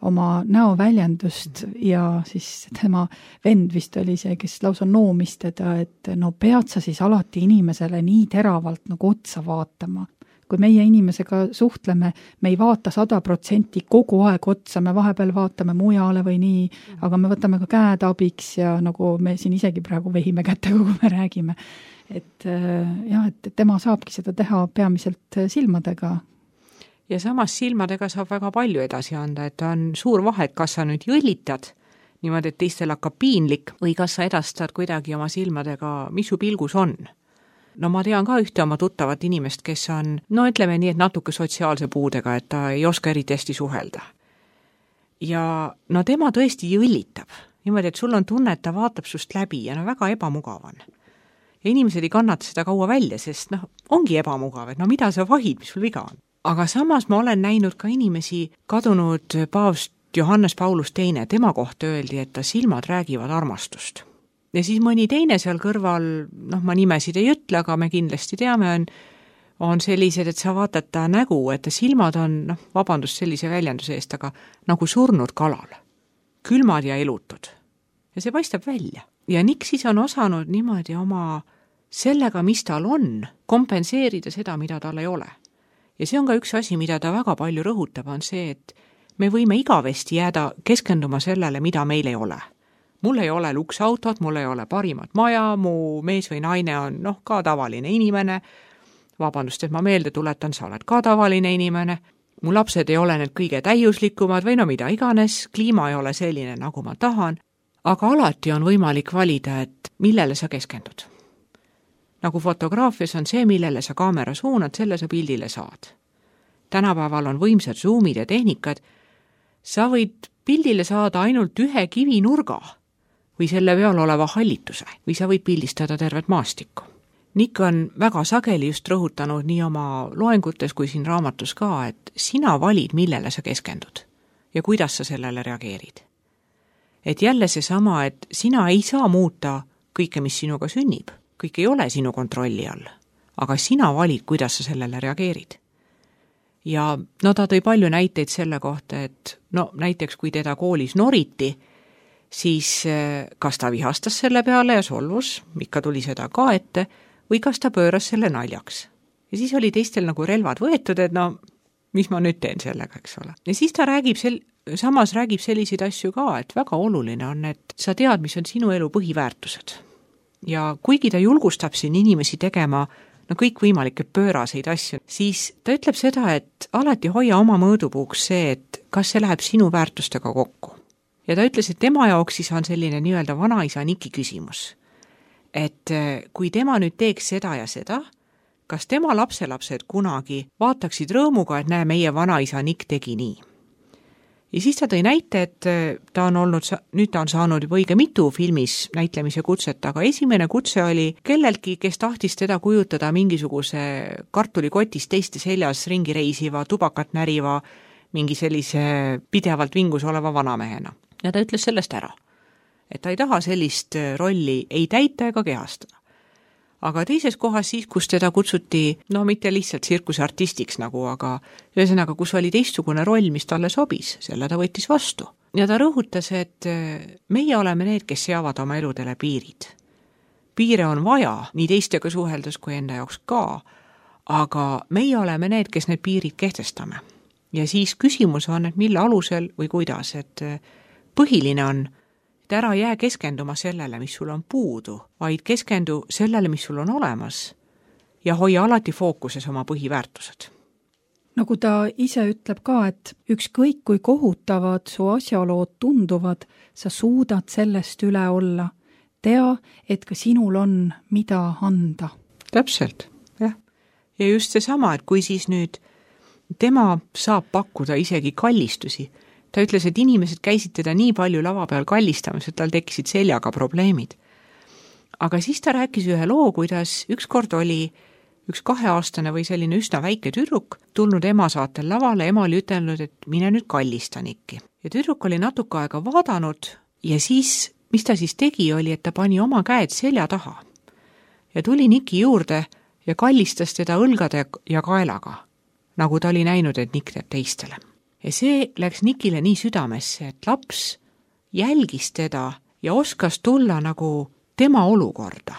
oma näoväljendust ja siis tema vend vist oli see, kes lausa noomis teda, et no pead sa siis alati inimesele nii teravalt nagu otsa vaatama. Kui meie inimesega suhtleme, me ei vaata sada protsenti kogu aeg otsa, me vahepeal vaatame mujale või nii, aga me võtame ka käed abiks ja nagu me siin isegi praegu vehime kätega, kui me räägime. Et jah, et tema saabki seda teha peamiselt silmadega. Ja samas silmadega saab väga palju edasi anda, et on suur vahe, kas sa nüüd jõllitad niimoodi, et teistel hakkab piinlik või kas sa edastad kuidagi oma silmadega, mis su pilgus on. No ma tean ka ühte oma tuttavat inimest, kes on, no ütleme nii, et natuke sotsiaalse puudega, et ta ei oska eriti hästi suhelda. Ja no tema tõesti jõllitab. Niimoodi, et sul on tunne, et ta vaatab sust läbi ja no väga ebamugav on. Ja inimesed ei kannata seda kaua välja, sest noh, ongi ebamugav, et no mida sa vahid, mis sul viga on. Aga samas ma olen näinud ka inimesi kadunud paavst Johannes Paulus teine, tema kohta öeldi, et ta silmad räägivad armastust. Ja siis mõni teine seal kõrval, noh ma nimesid ei ütle, aga me kindlasti teame, on, on sellised, et sa vaatad ta nägu, et ta silmad on, noh vabandust sellise väljenduse eest, aga nagu surnud kalal, külmad ja elutud. Ja see paistab välja. Ja Nick siis on osanud niimoodi oma sellega, mis tal on, kompenseerida seda, mida tal ei ole. Ja see on ka üks asi, mida ta väga palju rõhutab, on see, et me võime igavesti jääda keskenduma sellele, mida meil ei ole. Mul ei ole luksautot, mul ei ole parimat maja, mu mees või naine on noh, ka tavaline inimene. Vabandust, et ma meelde tuletan, sa oled ka tavaline inimene. Mu lapsed ei ole need kõige täiuslikumad või no mida iganes, kliima ei ole selline, nagu ma tahan. Aga alati on võimalik valida, et millele sa keskendud. Nagu fotograafias on see, millele sa kaamera suunad, selle sa pildile saad. Tänapäeval on võimsad zoomid ja tehnikad. Sa võid pildile saada ainult ühe kivinurga või selle peal oleva hallituse või sa võid pildistada tervet maastikku. Nick on väga sageli just rõhutanud nii oma loengutes kui siin raamatus ka, et sina valid, millele sa keskendud ja kuidas sa sellele reageerid. Et jälle see sama, et sina ei saa muuta kõike, mis sinuga sünnib. Kõik ei ole sinu kontrolli all, aga sina valid, kuidas sa sellele reageerid. Ja no ta tõi palju näiteid selle kohta, et no näiteks kui teda koolis noriti, siis kas ta vihastas selle peale ja solvus, ikka tuli seda ka ette, või kas ta pööras selle naljaks. Ja siis oli teistel nagu relvad võetud, et no mis ma nüüd teen sellega, eks ole. Ja siis ta räägib sel, samas räägib selliseid asju ka, et väga oluline on, et sa tead, mis on sinu elu põhiväärtused. Ja kuigi ta julgustab siin inimesi tegema no kõik võimalikke pööraseid asju, siis ta ütleb seda, et alati hoia oma mõõdupuuks see, et kas see läheb sinu väärtustega kokku. Ja ta ütles, et tema jaoks siis on selline nii-öelda vanaisa Niki küsimus. Et kui tema nüüd teeks seda ja seda, kas tema lapselapsed kunagi vaataksid rõõmuga, et näe, meie vanaisa Nick tegi nii. Ja siis ta tõi näite, et ta on olnud, nüüd ta on saanud juba õige mitu filmis näitlemise kutset, aga esimene kutse oli kelleltki, kes tahtis teda kujutada mingisuguse kartulikotist teiste seljas ringi reisiva, tubakat näriva, mingi sellise pidevalt vingus oleva vanamehena. Ja ta ütles sellest ära, et ta ei taha sellist rolli ei täita ega kehastada. Aga teises kohas siis, kus teda kutsuti, no mitte lihtsalt tsirkuseartistiks nagu, aga ühesõnaga, kus oli teistsugune roll, mis talle sobis, selle ta võttis vastu. Ja ta rõhutas, et meie oleme need, kes seavad oma eludele piirid. Piire on vaja, nii teistega suheldes kui enda jaoks ka, aga meie oleme need, kes need piirid kehtestame. Ja siis küsimus on, et mille alusel või kuidas, et põhiline on, et ära jää keskenduma sellele, mis sul on puudu, vaid keskendu sellele, mis sul on olemas ja hoia alati fookuses oma põhiväärtused. Nagu ta ise ütleb ka, et ükskõik kui kohutavad su asjalood tunduvad, sa suudad sellest üle olla. Tea, et ka sinul on mida anda. Täpselt, jah. Ja just see sama, et kui siis nüüd tema saab pakkuda isegi kallistusi, ta ütles, et inimesed käisid teda nii palju lava peal kallistamas, et tal tekkisid seljaga probleemid. Aga siis ta rääkis ühe loo, kuidas ükskord oli üks kaheaastane või selline üsna väike tüdruk tulnud ema saatel lavale, ema oli ütelnud, et mine nüüd kallista Nikki. Ja tüdruk oli natuke aega vaadanud ja siis, mis ta siis tegi, oli, et ta pani oma käed selja taha ja tuli Nikki juurde ja kallistas teda õlgade ja kaelaga, nagu ta oli näinud, et Nikk teeb teistele. Ja see läks Nikile nii südamesse, et laps jälgis teda ja oskas tulla nagu tema olukorda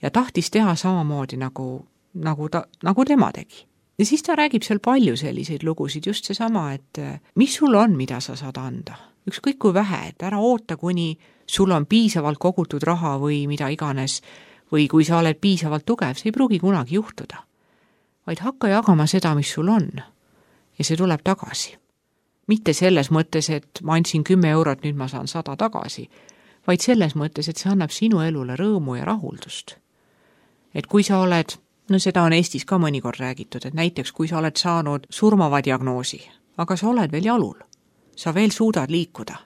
ja tahtis teha samamoodi nagu, nagu, ta, nagu tema tegi. Ja siis ta räägib seal palju selliseid lugusid, just seesama, et mis sul on, mida sa saad anda. Ükskõik kui vähe, et ära oota, kuni sul on piisavalt kogutud raha või mida iganes, või kui sa oled piisavalt tugev, see ei pruugi kunagi juhtuda. Vaid hakka jagama seda, mis sul on. Ja see tuleb tagasi. Mitte selles mõttes, et ma andsin kümme eurot, nüüd ma saan sada tagasi, vaid selles mõttes, et see annab sinu elule rõõmu ja rahuldust. Et kui sa oled, no seda on Eestis ka mõnikord räägitud, et näiteks kui sa oled saanud surmava diagnoosi, aga sa oled veel jalul, sa veel suudad liikuda.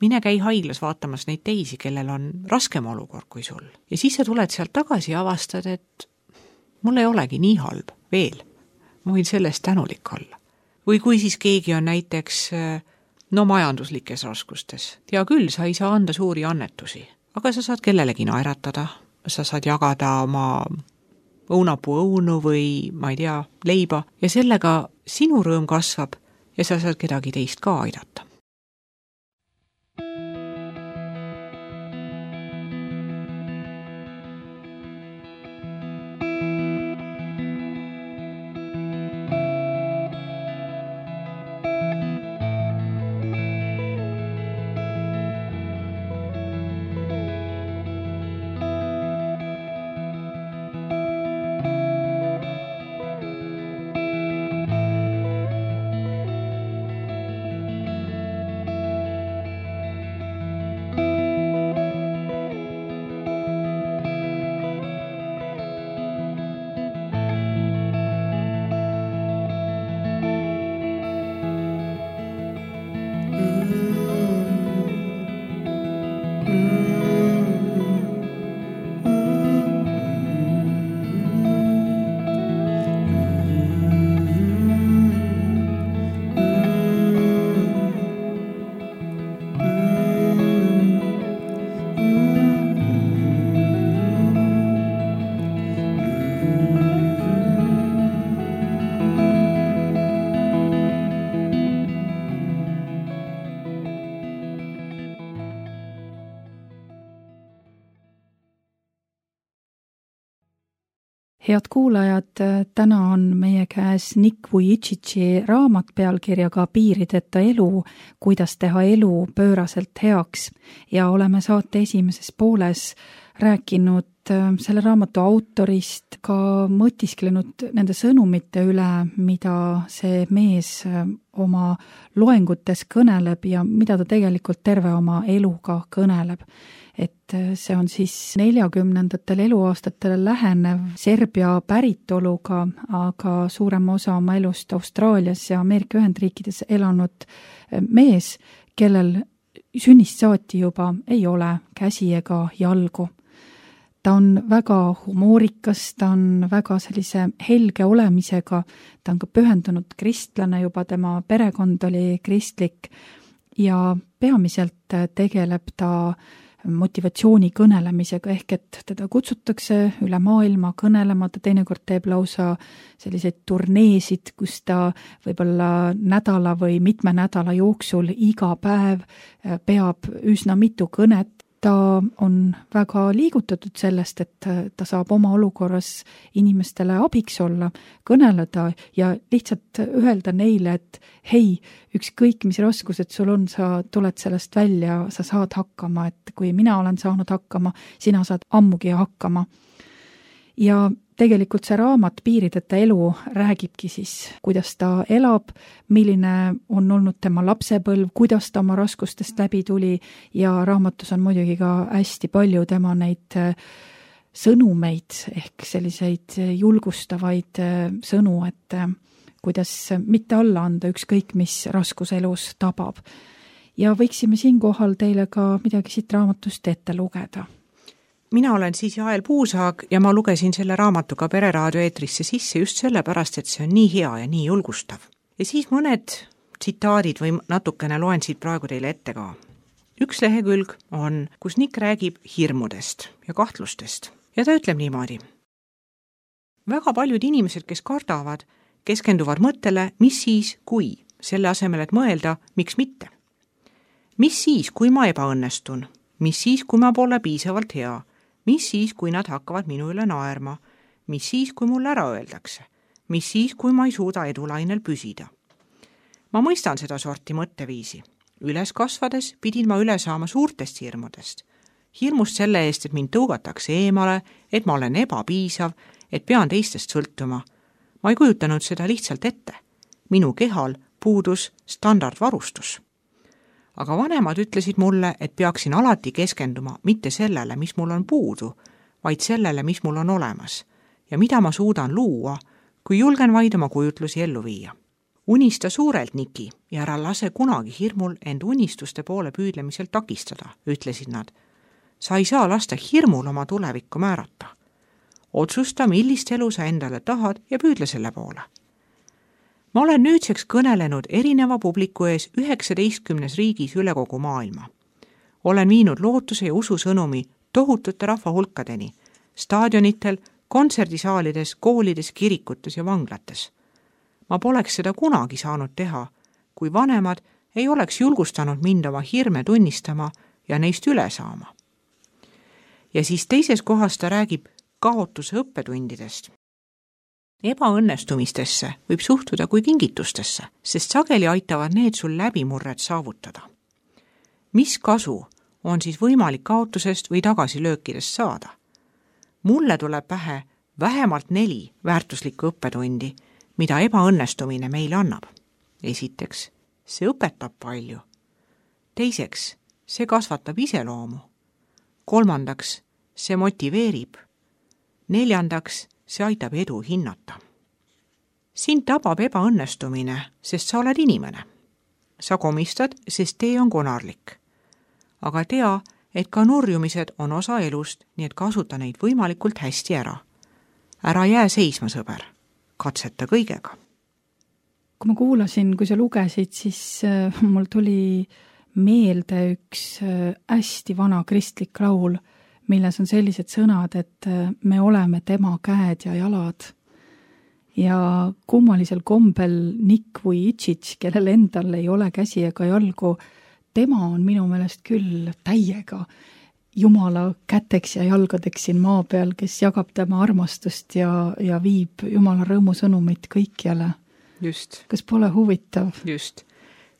Mine käi haiglas vaatamas neid teisi, kellel on raskem olukord kui sul. Ja siis sa tuled sealt tagasi ja avastad, et mul ei olegi nii halb veel. Ma võin sellest tänulik olla. Või kui siis keegi on näiteks no majanduslikes raskustes. Tea küll, sa ei saa anda suuri annetusi, aga sa saad kellelegi naeratada, sa saad jagada oma õunapuu õunu või, ma ei tea, leiba ja sellega sinu rõõm kasvab ja sa saad kedagi teist ka aidata. Head kuulajad, täna on meie käes Nick Vujicici raamat pealkirjaga Piirideta elu, kuidas teha elu pööraselt heaks ja oleme saate esimeses pooles rääkinud selle raamatu autorist, ka mõtisklenud nende sõnumite üle, mida see mees oma loengutes kõneleb ja mida ta tegelikult terve oma eluga kõneleb. Et see on siis neljakümnendatel eluaastatele lähenev Serbia päritoluga, aga suurem osa oma elust Austraalias ja Ameerika Ühendriikides elanud mees, kellel sünnist saati juba ei ole käsi ega jalgu. Ta on väga humoorikas, ta on väga sellise helge olemisega, ta on ka pühendunud kristlane, juba tema perekond oli kristlik ja peamiselt tegeleb ta motivatsiooni kõnelemisega, ehk et teda kutsutakse üle maailma kõnelema, ta teinekord teeb lausa selliseid turneesid, kus ta võib-olla nädala või mitme nädala jooksul iga päev peab üsna mitu kõnet. Ta on väga liigutatud sellest, et ta saab oma olukorras inimestele abiks olla, kõneleda ja lihtsalt öelda neile, et hei, ükskõik mis raskused sul on, sa tuled sellest välja, sa saad hakkama, et kui mina olen saanud hakkama, sina saad ammugi hakkama. Ja tegelikult see raamat Piirideta elu räägibki siis, kuidas ta elab, milline on olnud tema lapsepõlv, kuidas ta oma raskustest läbi tuli ja raamatus on muidugi ka hästi palju tema neid sõnumeid ehk selliseid julgustavaid sõnu, et kuidas mitte alla anda ükskõik, mis raskus elus tabab. Ja võiksime siinkohal teile ka midagi siit raamatust ette lugeda. mina olen siis Jael Puusaag ja ma lugesin selle raamatu ka Pereraadio eetrisse sisse just sellepärast, et see on nii hea ja nii julgustav. Ja siis mõned tsitaadid või natukene loen siit praegu teile ette ka. Üks lehekülg on, kus Nick räägib hirmudest ja kahtlustest ja ta ütleb niimoodi. Väga paljud inimesed, kes kardavad, keskenduvad mõttele, mis siis, kui, selle asemel, et mõelda, miks mitte. Mis siis, kui ma ebaõnnestun? Mis siis, kui ma pole piisavalt hea? Mis siis, kui nad hakkavad minu üle naerma? Mis siis, kui mul ära öeldakse? Mis siis, kui ma ei suuda edulainel püsida? Ma mõistan seda sorti mõtteviisi. Üles kasvades pidin ma üle saama suurtest hirmudest. Hirmust selle eest, et mind tõugatakse eemale, et ma olen ebapiisav, et pean teistest sõltuma. Ma ei kujutanud seda lihtsalt ette. Minu kehal puudus standardvarustus. Aga vanemad ütlesid mulle, et peaksin alati keskenduma mitte sellele, mis mul on puudu, vaid sellele, mis mul on olemas ja mida ma suudan luua, kui julgen vaid oma kujutlusi ellu viia. Unista suurelt, Niki, ja ära lase kunagi hirmul end unistuste poole püüdlemiselt takistada, ütlesid nad. Sa ei saa lasta hirmul oma tulevikku määrata. Otsusta, millist elu sa endale tahad ja püüdle selle poole. Ma olen nüüdseks kõnelenud erineva publiku ees üheksateistkümnes riigis üle kogu maailma. Olen viinud lootuse ja usu sõnumi tohutute rahvahulkadeni, staadionitel, kontserdisaalides, koolides, kirikutes ja vanglates. Ma poleks seda kunagi saanud teha, kui vanemad ei oleks julgustanud mind oma hirme tunnistama ja neist üle saama. Ja siis teises kohas ta räägib kaotuse õppetundidest. Ebaõnnestumistesse võib suhtuda kui kingitustesse, sest sageli aitavad need sul läbimurret saavutada. Mis kasu on siis võimalik kaotusest või tagasilöökidest saada? Mulle tuleb pähe vähemalt neli väärtuslikku õppetundi, mida ebaõnnestumine meile annab. Esiteks, see õpetab palju. Teiseks, see kasvatab iseloomu. Kolmandaks, see motiveerib. Neljandaks, see aitab edu hinnata. Sind tabab ebaõnnestumine, sest sa oled inimene. Sa komistad, sest tee on konarlik. Aga tea, et ka nurjumised on osa elust, nii et kasuta neid võimalikult hästi ära. Ära jää seisma, sõber. Katseta kõigega. Kui ma kuulasin, kui sa lugesid, siis äh, mul tuli meelde üks äh, hästi vana kristlik laul, milles on sellised sõnad, et äh, me oleme tema käed ja jalad. Ja kummalisel kombel Nick Vujicic, kellel endal ei ole käsi ega jalgu, tema on minu meelest küll täiega Jumala käteks ja jalgadeks siin maa peal, kes jagab tema armastust ja, ja viib Jumala rõõmusõnumit kõikjale. Just. Kas pole huvitav? Just.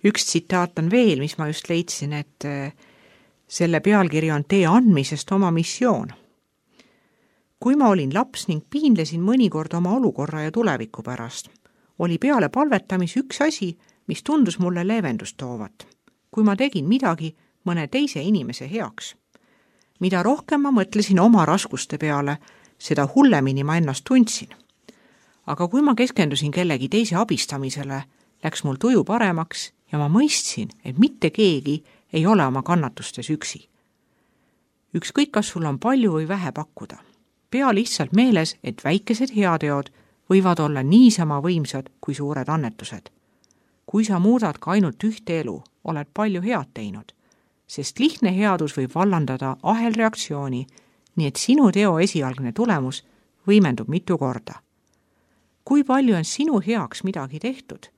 Üks tsitaat on veel, mis ma just leidsin, et selle pealkiri on tee andmisest oma missioon. Kui ma olin laps ning piinlesin mõnikord oma olukorra ja tuleviku pärast, oli peale palvetamis üks asi, mis tundus mulle leevendust toovat. Kui ma tegin midagi mõne teise inimese heaks. Mida rohkem ma mõtlesin oma raskuste peale, seda hullemini ma ennast tundsin. Aga kui ma keskendusin kellegi teise abistamisele, läks mul tuju paremaks ja ma mõistsin, et mitte keegi ei ole oma kannatustes üksi. Ükskõik, kas sul on palju või vähe pakkuda. Pea lihtsalt meeles, et väikesed heateod võivad olla niisama võimsad kui suured annetused. Kui sa muudad ka ainult ühte elu, oled palju head teinud. Sest lihtne headus võib vallandada ahelreaktsiooni, nii et sinu teo esialgne tulemus võimendub mitu korda. Kui palju on sinu heaks midagi tehtud,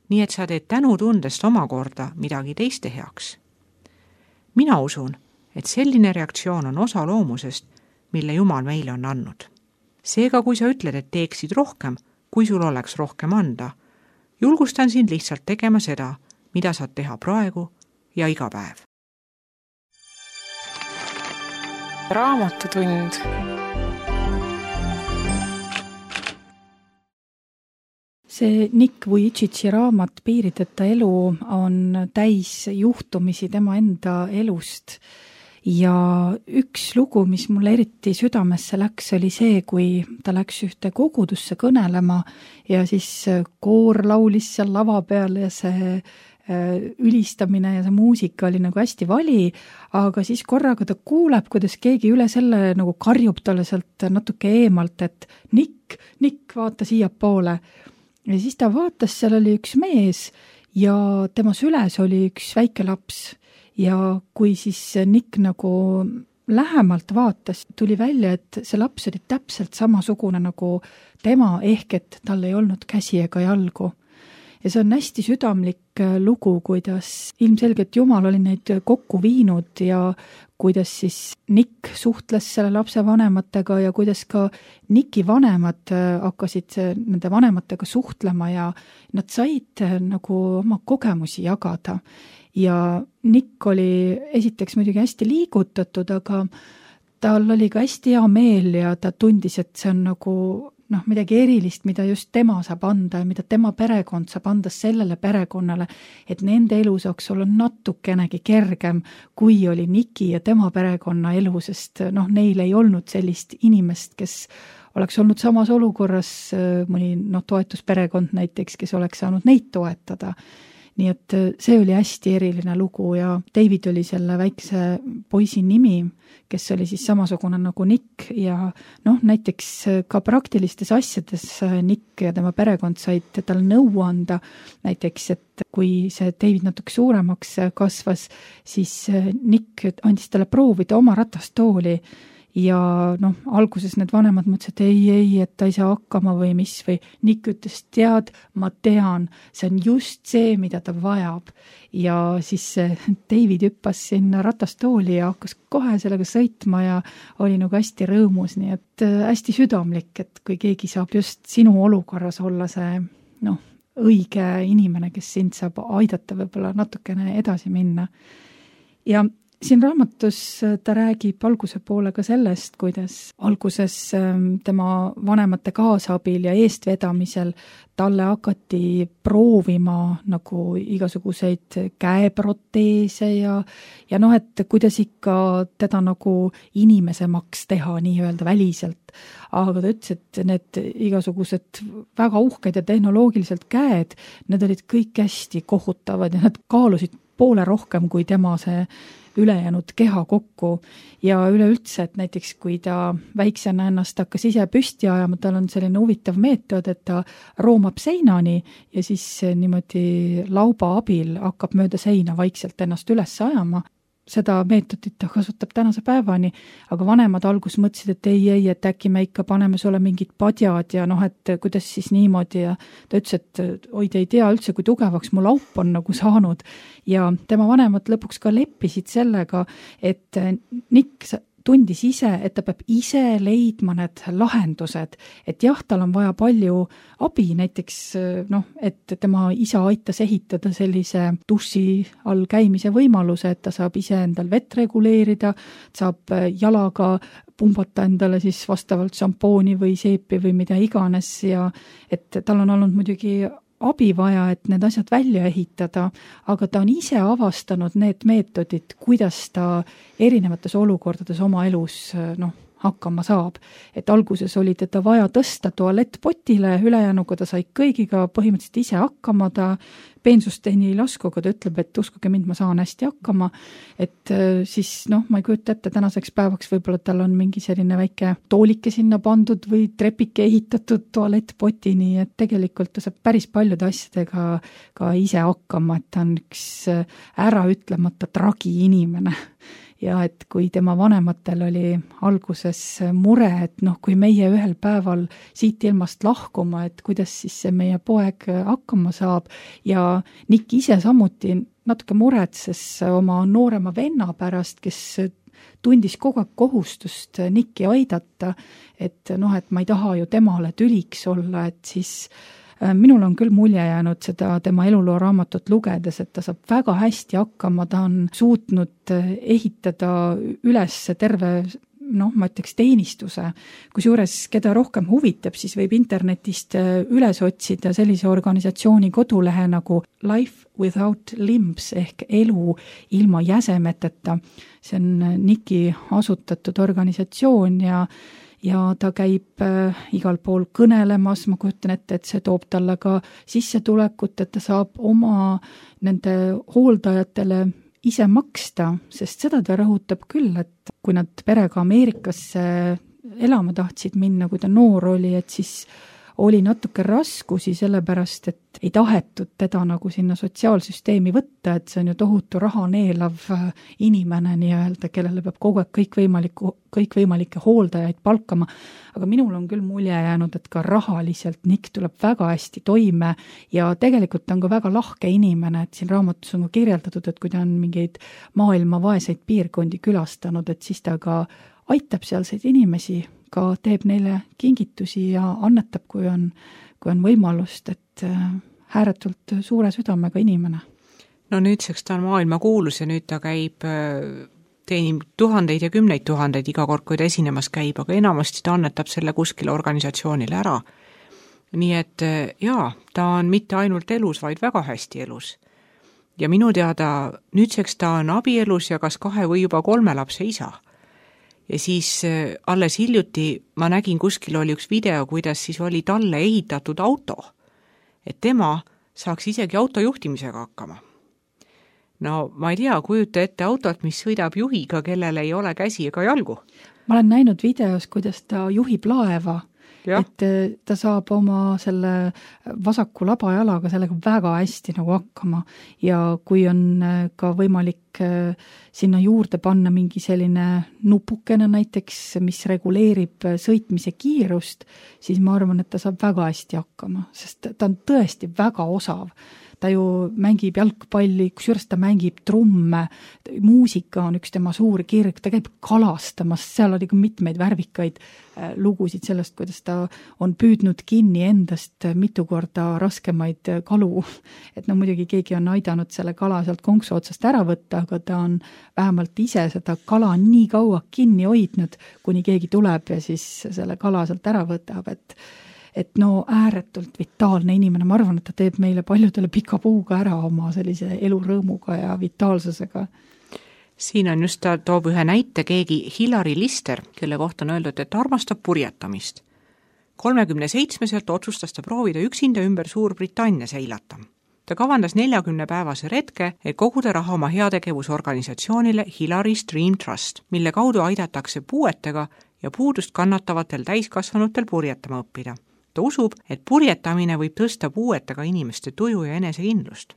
nii et sa teed tänutundest omakorda midagi teiste heaks? Mina usun, et selline reaktsioon on osa loomusest, mille Jumal meile on andnud. Seega, kui sa ütled, et teeksid rohkem, kui sul oleks rohkem anda, julgustan sind lihtsalt tegema seda, mida saad teha praegu ja iga päev. Raamatutund. See Nick Vujicici raamat Piirideta elu on täis juhtumisi tema enda elust. Ja üks lugu, mis mulle eriti südamesse läks, oli see, kui ta läks ühte kogudusse kõnelema ja siis koor laulis seal lava peal ja see ülistamine ja see muusika oli nagu hästi vali, aga siis korraga ta kuuleb, kuidas keegi üle selle nagu karjub talle sealt natuke eemalt, et Nick, Nick, vaata siia poole. Ja siis ta vaatas, seal oli üks mees ja tema süles oli üks väike laps ja kui siis Nick nagu lähemalt vaatas, tuli välja, et see laps oli täpselt samasugune nagu tema, ehk et tal ei olnud käsi ega jalgu. Ja see on hästi südamlik lugu, kuidas ilmselgelt Jumal oli neid kokku viinud ja kuidas siis Nick suhtles selle lapse vanematega ja kuidas ka Nicki vanemad hakkasid nende vanematega suhtlema ja nad said nagu oma kogemusi jagada. Ja Nick oli esiteks muidugi hästi liigutatud, aga tal oli ka hästi hea meel ja ta tundis, et see on nagu noh, midagi erilist, mida just tema saab anda ja mida tema perekond saab anda sellele perekonnale, et nende elu saaks olla natukenegi kergem, kui oli Nicki ja tema perekonna elu, sest noh, neil ei olnud sellist inimest, kes oleks olnud samas olukorras, mõni noh, toetusperekond näiteks, kes oleks saanud neid toetada. Nii et see oli hästi eriline lugu ja David oli selle väikse poisi nimi, kes oli siis samasugune nagu Nick ja noh, näiteks ka praktilistes asjades Nick ja tema perekond said tal nõu anda, näiteks, et kui see David natuke suuremaks kasvas, siis Nick andis talle proovida oma ratastooli ja noh, alguses need vanemad mõtlesid, et ei, ei, et ta ei saa hakkama või mis, või Nick ütles, tead, ma tean, see on just see, mida ta vajab. Ja siis David hüppas sinna ratastooli ja hakkas kohe sellega sõitma ja oli nagu hästi rõõmus, nii et hästi südamlik, et kui keegi saab just sinu olukorras olla see noh, õige inimene, kes sind saab aidata võib-olla natukene edasi minna. Ja siin raamatus ta räägib alguse poole ka sellest, kuidas alguses tema vanemate kaasabil ja eestvedamisel talle hakati proovima nagu igasuguseid käeproteese ja, ja noh, et kuidas ikka teda nagu inimesemaks teha nii-öelda väliselt. Aga ta ütles, et need igasugused väga uhked ja tehnoloogiliselt käed, need olid kõik hästi kohutavad ja nad kaalusid poole rohkem kui tema see ülejäänud keha kokku ja üleüldse, et näiteks kui ta väiksena ennast hakkas ise püsti ajama, tal on selline huvitav meetod, et ta roomab seinani ja siis niimoodi lauba abil hakkab mööda seina vaikselt ennast üles ajama. Seda meetodit ta kasutab tänase päevani, aga vanemad algus mõtlesid, et ei, ei, et äkki me ikka paneme sulle mingid padjad ja noh, et kuidas siis niimoodi ja ta ütles, et oi, te ei tea üldse, kui tugevaks mu laup on nagu saanud ja tema vanemad lõpuks ka leppisid sellega, et Nick tundis ise, et ta peab ise leidma need lahendused, et jah, tal on vaja palju abi, näiteks noh, et tema isa aitas ehitada sellise duši all käimise võimaluse, et ta saab ise endal vett reguleerida, saab jalaga pumbata endale siis vastavalt šampooni või seepi või mida iganes ja et tal on olnud muidugi abi vaja, et need asjad välja ehitada, aga ta on ise avastanud need meetodid, kuidas ta erinevates olukordades oma elus noh, hakkama saab. Et alguses oli teda vaja tõsta tualettpotile, ülejäänuga ta sai kõigiga põhimõtteliselt ise hakkama, ta peensusteni ei lasku, aga ta ütleb, et uskuge mind, ma saan hästi hakkama, et siis noh, ma ei kujuta ette, tänaseks päevaks võib-olla tal on mingi selline väike toolike sinna pandud või trepike ehitatud tualettpotini, et tegelikult ta saab päris paljude asjadega ka ise hakkama, et ta on üks äraütlemata tragi inimene. Ja et kui tema vanematel oli alguses mure, et noh, kui meie ühel päeval siit ilmast lahkuma, et kuidas siis see meie poeg hakkama saab ja Nick ise samuti natuke muretses oma noorema venna pärast, kes tundis kogu aeg kohustust Nicki aidata, et noh, et ma ei taha ju temale tüliks olla, et siis minul on küll mulje jäänud seda tema eluloo raamatut lugedes, et ta saab väga hästi hakkama, ta on suutnud ehitada üles terve, noh, ma ütleks teenistuse, kusjuures keda rohkem huvitab, siis võib internetist üles otsida sellise organisatsiooni kodulehe nagu Life Without Limbs ehk elu ilma jäsemeteta. See on Nicki asutatud organisatsioon ja ja ta käib äh, igal pool kõnelemas, ma kujutan ette, et see toob talle ka sissetulekut, et ta saab oma nende hooldajatele ise maksta, sest seda ta rõhutab küll, et kui nad perega Ameerikasse elama tahtsid minna, kui ta noor oli, et siis oli natuke raskusi sellepärast, et ei tahetud teda nagu sinna sotsiaalsüsteemi võtta, et see on ju tohutu raha neelav inimene nii-öelda, kellele peab kogu aeg kõikvõimaliku, kõikvõimalikke hooldajaid palkama. Aga minul on küll mulje jäänud, et ka rahaliselt Nick tuleb väga hästi toime ja tegelikult on ka väga lahke inimene, et siin raamatus on ka kirjeldatud, et kui ta on mingeid maailma vaeseid piirkondi külastanud, et siis ta ka aitab sealseid inimesi, ka teeb neile kingitusi ja annetab, kui on, kui on võimalust, et ääretult suure südamega inimene. No nüüdseks ta on maailma kuulus ja nüüd ta käib, teenib tuhandeid ja kümneid tuhandeid iga kord, kui ta esinemas käib, aga enamasti ta annetab selle kuskile organisatsioonile ära. Nii et jaa, ta on mitte ainult elus, vaid väga hästi elus. Ja minu teada nüüdseks ta on abielus ja kas kahe või juba kolme lapse isa. Ja siis alles hiljuti ma nägin kuskil oli üks video, kuidas siis oli talle ehitatud auto, et tema saaks isegi auto juhtimisega hakkama. No ma ei tea, kujuta ette autot, mis sõidab juhiga, kellel ei ole käsi ega jalgu. Ma olen näinud videos, kuidas ta juhib laeva, ja. Et ta saab oma selle vasaku labajalaga sellega väga hästi nagu hakkama ja kui on ka võimalik sinna juurde panna mingi selline nupukene näiteks, mis reguleerib sõitmise kiirust, siis ma arvan, et ta saab väga hästi hakkama, sest ta on tõesti väga osav. Ta ju mängib jalgpalli, kusjuures ta mängib trumme, muusika on üks tema suur kirg, ta käib kalastamas, seal oli ka mitmeid värvikaid lugusid sellest, kuidas ta on püüdnud kinni endast mitu korda raskemaid kalu. Et no muidugi keegi on aidanud selle kala sealt konksu otsast ära võtta, aga ta on vähemalt ise seda kala nii kaua kinni hoidnud, kuni keegi tuleb ja siis selle kala sealt ära võtab, et et no ääretult vitaalne inimene, ma arvan, et ta teeb meile paljudele pika puuga ära oma sellise elurõõmuga ja vitaalsusega. Siin on just, ta toob ühe näite keegi Hillary Lister, kelle kohta on öeldud, et armastab purjetamist. kolmekümne seitsmeselt otsustas ta proovida üksinda ümber Suurbritannia seilata. Ta kavandas neljakümne päevase retke, et koguda raha oma heategevusorganisatsioonile Hillary's Dream Trust, mille kaudu aidatakse puuetega ja puudust kannatavatel täiskasvanutel purjetama õppida. Ta usub, et purjetamine võib tõsta puuetega inimeste tuju ja enesekindlust.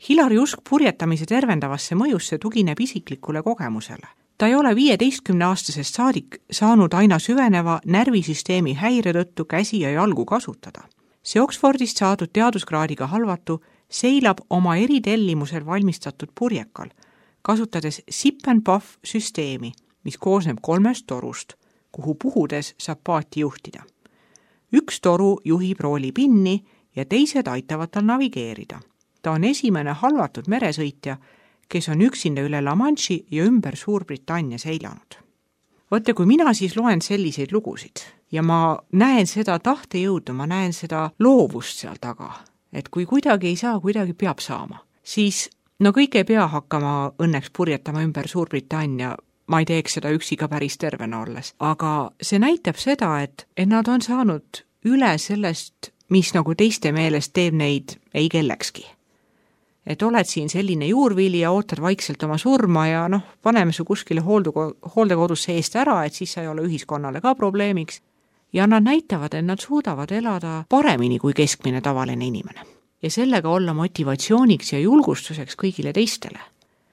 Hillary usk purjetamise tervendavasse mõjusse tugineb isiklikule kogemusele. Ta ei ole viieteistkümne aastasest saadik saanud aina süveneva närvisüsteemi häire tõttu käsi ja jalgu kasutada. See Oxfordist saadud teaduskraadiga halvatu seilab oma eritellimusel valmistatud purjekal, kasutades sip and puff süsteemi, mis koosneb kolmest torust, kuhu puhudes saab paati juhtida. Üks toru juhib rooli pinni ja teised aitavad tal navigeerida. Ta on esimene halvatud meresõitja, kes on üksinda üle La Manche'i ja ümber Suurbritannia seilanud. Võtte, kui mina siis loen selliseid lugusid ja ma näen seda tahtejõudu, ma näen seda loovust seal taga, et kui kuidagi ei saa, kuidagi peab saama, siis no kõik ei pea hakkama õnneks purjetama ümber Suurbritannia, ma ei teeks seda üksi ka päris tervena olles, aga see näitab seda, et, et nad on saanud üle sellest, mis nagu teiste meelest teeb neid ei kellekski. Et oled siin selline juurvili ja ootad vaikselt oma surma ja noh, paneme su kuskile hooldekodusse eest ära, et siis sa ei ole ühiskonnale ka probleemiks. Ja nad näitavad, et nad suudavad elada paremini kui keskmine tavaline inimene. Ja sellega olla motivatsiooniks ja julgustuseks kõigile teistele.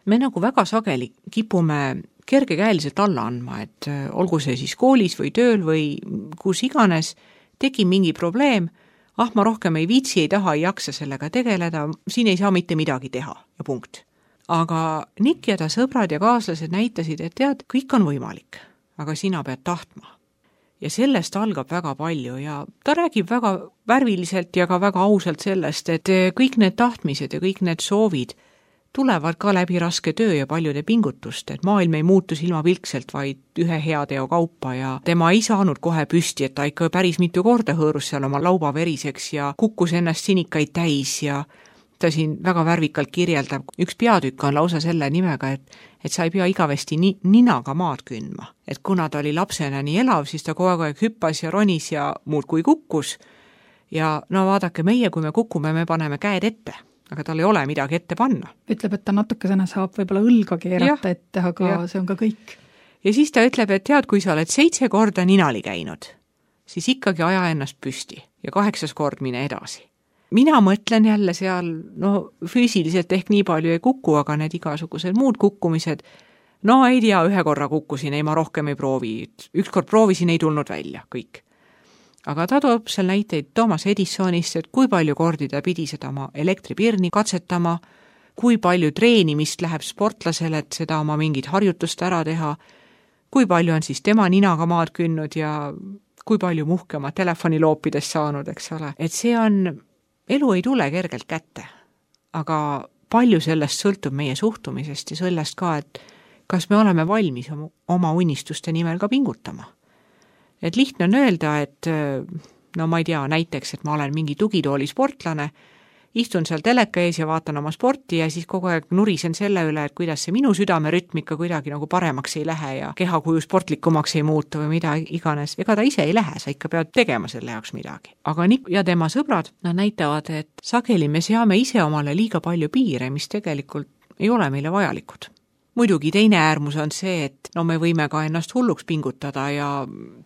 Me nagu väga sageli kipume kergekäeliselt alla andma, et olgu see siis koolis või tööl või kus iganes, tegi mingi probleem, ah ma rohkem ei viitsi, ei taha, ei jaksa sellega tegeleda, siin ei saa mitte midagi teha ja punkt. Aga Nick ja ta sõbrad ja kaaslased näitasid, et tead, kõik on võimalik, aga sina pead tahtma. Ja sellest algab väga palju ja ta räägib väga värviliselt ja ka väga ausalt sellest, et kõik need tahtmised ja kõik need soovid tulevad ka läbi raske töö ja paljude pingutust, et maailm ei muutu silmapilkselt, vaid ühe heateo kaupa ja tema ei saanud kohe püsti, et ta ikka päris mitu korda hõõrus seal oma lauba veriseks ja kukkus ennast sinikaid täis ja ta siin väga värvikalt kirjeldab, üks peatükk on lausa selle nimega, et, et sa ei pea igavesti ni, ninaga maad kündma. Et kuna ta oli lapsena nii elav, siis ta kogu aeg hüppas ja ronis ja muud kui kukkus. Ja no vaadake, meie, kui me kukume, me paneme käed ette, aga tal ei ole midagi ette panna. Ütleb, et ta natukesena saab võib-olla õlga keerata ja, ette, aga ja. See on ka kõik. Ja siis ta ütleb, et tead, kui sa oled seitse korda ninali käinud, siis ikkagi aja ennast püsti ja kaheksas kord mine edasi. Mina mõtlen jälle seal, no füüsiliselt ehk nii palju ei kuku, aga need igasugused muud kukkumised, no ei tea, ühe korra kukkusin, ei ma rohkem ei proovi, ükskord proovisin, ei tulnud välja, kõik. Aga ta toob seal näiteid Thomas Edisonist, et kui palju kordi ta pidi seda oma elektripirni katsetama, kui palju treenimist läheb sportlasele, et seda oma mingit harjutust ära teha, kui palju on siis tema ninaga maad künnud ja kui palju muhke oma telefoni loopidest saanud, eks ole. Et see on, elu ei tule kergelt kätte, aga palju sellest sõltub meie suhtumisest ja sellest ka, et kas me oleme valmis oma unistuste nimel ka pingutama. Et lihtne on öelda, et no ma ei tea, näiteks, et ma olen mingi tugitooli sportlane, istun seal teleka ees ja vaatan oma sporti ja siis kogu aeg nurisen selle üle, et kuidas see minu südamerütm ikka kuidagi nagu paremaks ei lähe ja kehakuju sportlikumaks ei muutu või mida iganes. Ega ta ise ei lähe, sa ikka pead tegema selle jaoks midagi. Aga Nick ja tema sõbrad, nad näitavad, et sageli me seame ise omale liiga palju piire, mis tegelikult ei ole meile vajalikud. Muidugi teine äärmus on see, et no me võime ka ennast hulluks pingutada ja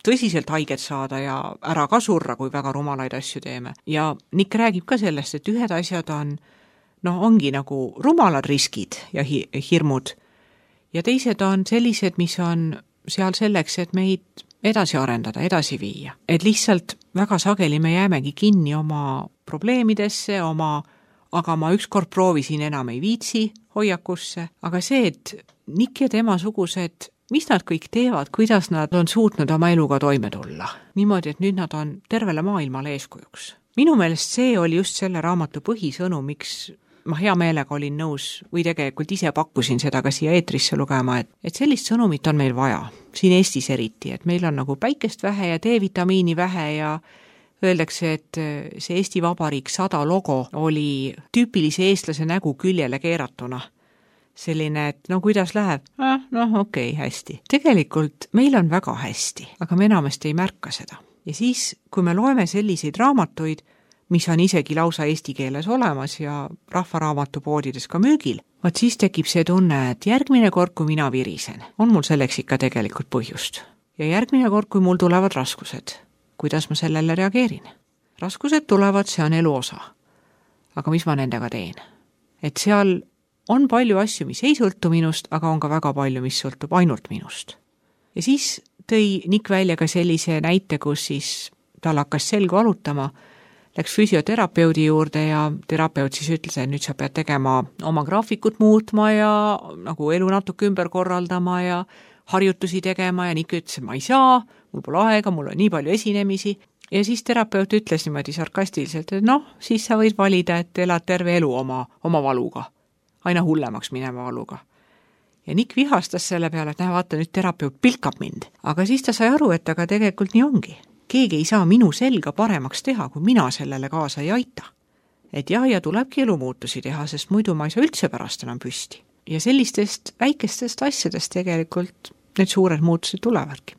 tõsiselt haiget saada ja ära ka surra, kui väga rumalaid asju teeme. Ja Nick räägib ka sellest, et ühed asjad on, no ongi nagu rumalad riskid ja hi- hirmud ja teised on sellised, mis on seal selleks, et meid edasi arendada, edasi viia. Et lihtsalt väga sageli me jäämegi kinni oma probleemidesse, oma aga ma ükskord proovisin, enam ei viitsi hoiakusse, aga see, et Nick ja tema sugused, mis nad kõik teevad, kuidas nad on suutnud oma eluga toime tulla. Niimoodi, et nüüd nad on tervele maailmale eeskujuks. Minu meelest see oli just selle raamatu põhisõnu, miks ma hea meelega olin nõus või tegelikult ise pakkusin seda ka siia eetrisse lugema, et, et sellist sõnumit on meil vaja, siin Eestis eriti, et meil on nagu päikest vähe ja D-vitamiini vähe ja öeldakse, et see Eesti Vabariik sada logo oli tüüpilise eestlase nägu küljele keeratuna. Selline, et no kuidas läheb? Ah, noh, okei, okay, hästi. Tegelikult meil on väga hästi, aga me enamasti ei märka seda. Ja siis, kui me loeme selliseid raamatuid, mis on isegi lausa eesti keeles olemas ja rahvaraamatupoodides ka müügil, vaat siis tekib see tunne, et järgmine kord, kui mina virisen, on mul selleks ikka tegelikult põhjust. Ja järgmine kord, kui mul tulevad raskused, kuidas ma sellele reageerin. Raskused tulevad, see on elu osa. Aga mis ma nendega teen? Et seal on palju asju, mis ei sõltu minust, aga on ka väga palju, mis sõltub ainult minust. Ja siis tõi Nick välja ka sellise näite, kus siis tal hakkas selgu valutama, läks füsioterapeudi juurde ja terapeut siis ütles, et nüüd sa pead tegema oma graafikut muutma ja nagu elu natuke ümber korraldama ja harjutusi tegema ja Nick ütles, et ma ei saa, mul pole aega, mul on nii palju esinemisi. Ja siis terapeut ütles niimoodi sarkastiliselt, et noh, siis sa võid valida, et elad terve elu oma, oma valuga. Aina hullemaks minema valuga. Ja Nick vihastas selle peale, et näe, vaata, nüüd terapeut pilkab mind. Aga siis ta sai aru, et aga tegelikult nii ongi. Keegi ei saa minu selga paremaks teha, kui mina sellele kaasa ei aita. Et jah, ja tulebki elumuutusi teha, sest muidu ma ei saa üldse pärast enam püsti. Ja sellistest väikestest asjadest tegelikult need suured muutused tulevadki.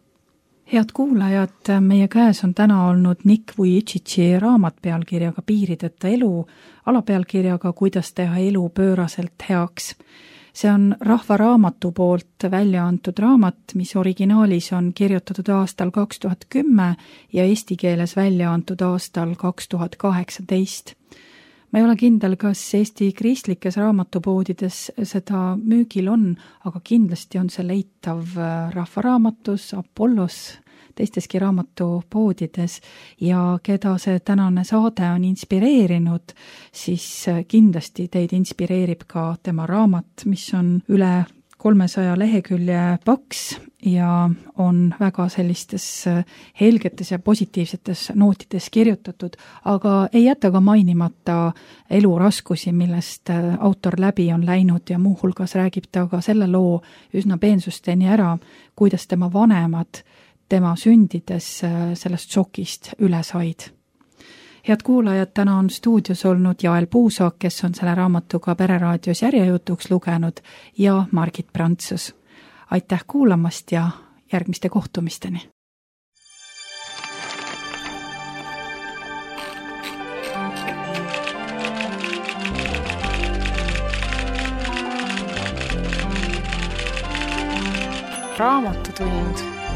Head kuulajad, meie käes on täna olnud Nick Vujicici raamat pealkirjaga Piirideta elu, alapealkirjaga Kuidas teha elu pööraselt heaks. See on Rahvaraamatu poolt välja antud raamat, mis originaalis on kirjutatud aastal kaks tuhat kümme ja eesti keeles välja antud aastal kaks tuhat kaheksateist. Ma ei ole kindel, kas Eesti kristlikes raamatupoodides seda müügil on, aga kindlasti on see leitav Rahvaraamatus, Apollos, teisteski raamatupoodides ja keda see tänane saade on inspireerinud, siis kindlasti teid inspireerib ka tema raamat, mis on üle kolmesaja lehekülje paks ja on väga sellistes helgetes ja positiivsetes nootides kirjutatud, aga ei jäta ka mainimata eluraskusi, millest autor läbi on läinud ja muuhulgas räägib ta ka selle loo üsna peensusteni ära, kuidas tema vanemad tema sündides sellest šokist üle said. head kuulajad, täna on stuudios olnud Jael Puusaag, kes on selle raamatu ka Pereraadios järjejutuks lugenud, ja Margit Prantsus. Aitäh kuulamast ja järgmiste kohtumisteni! Raamatutund.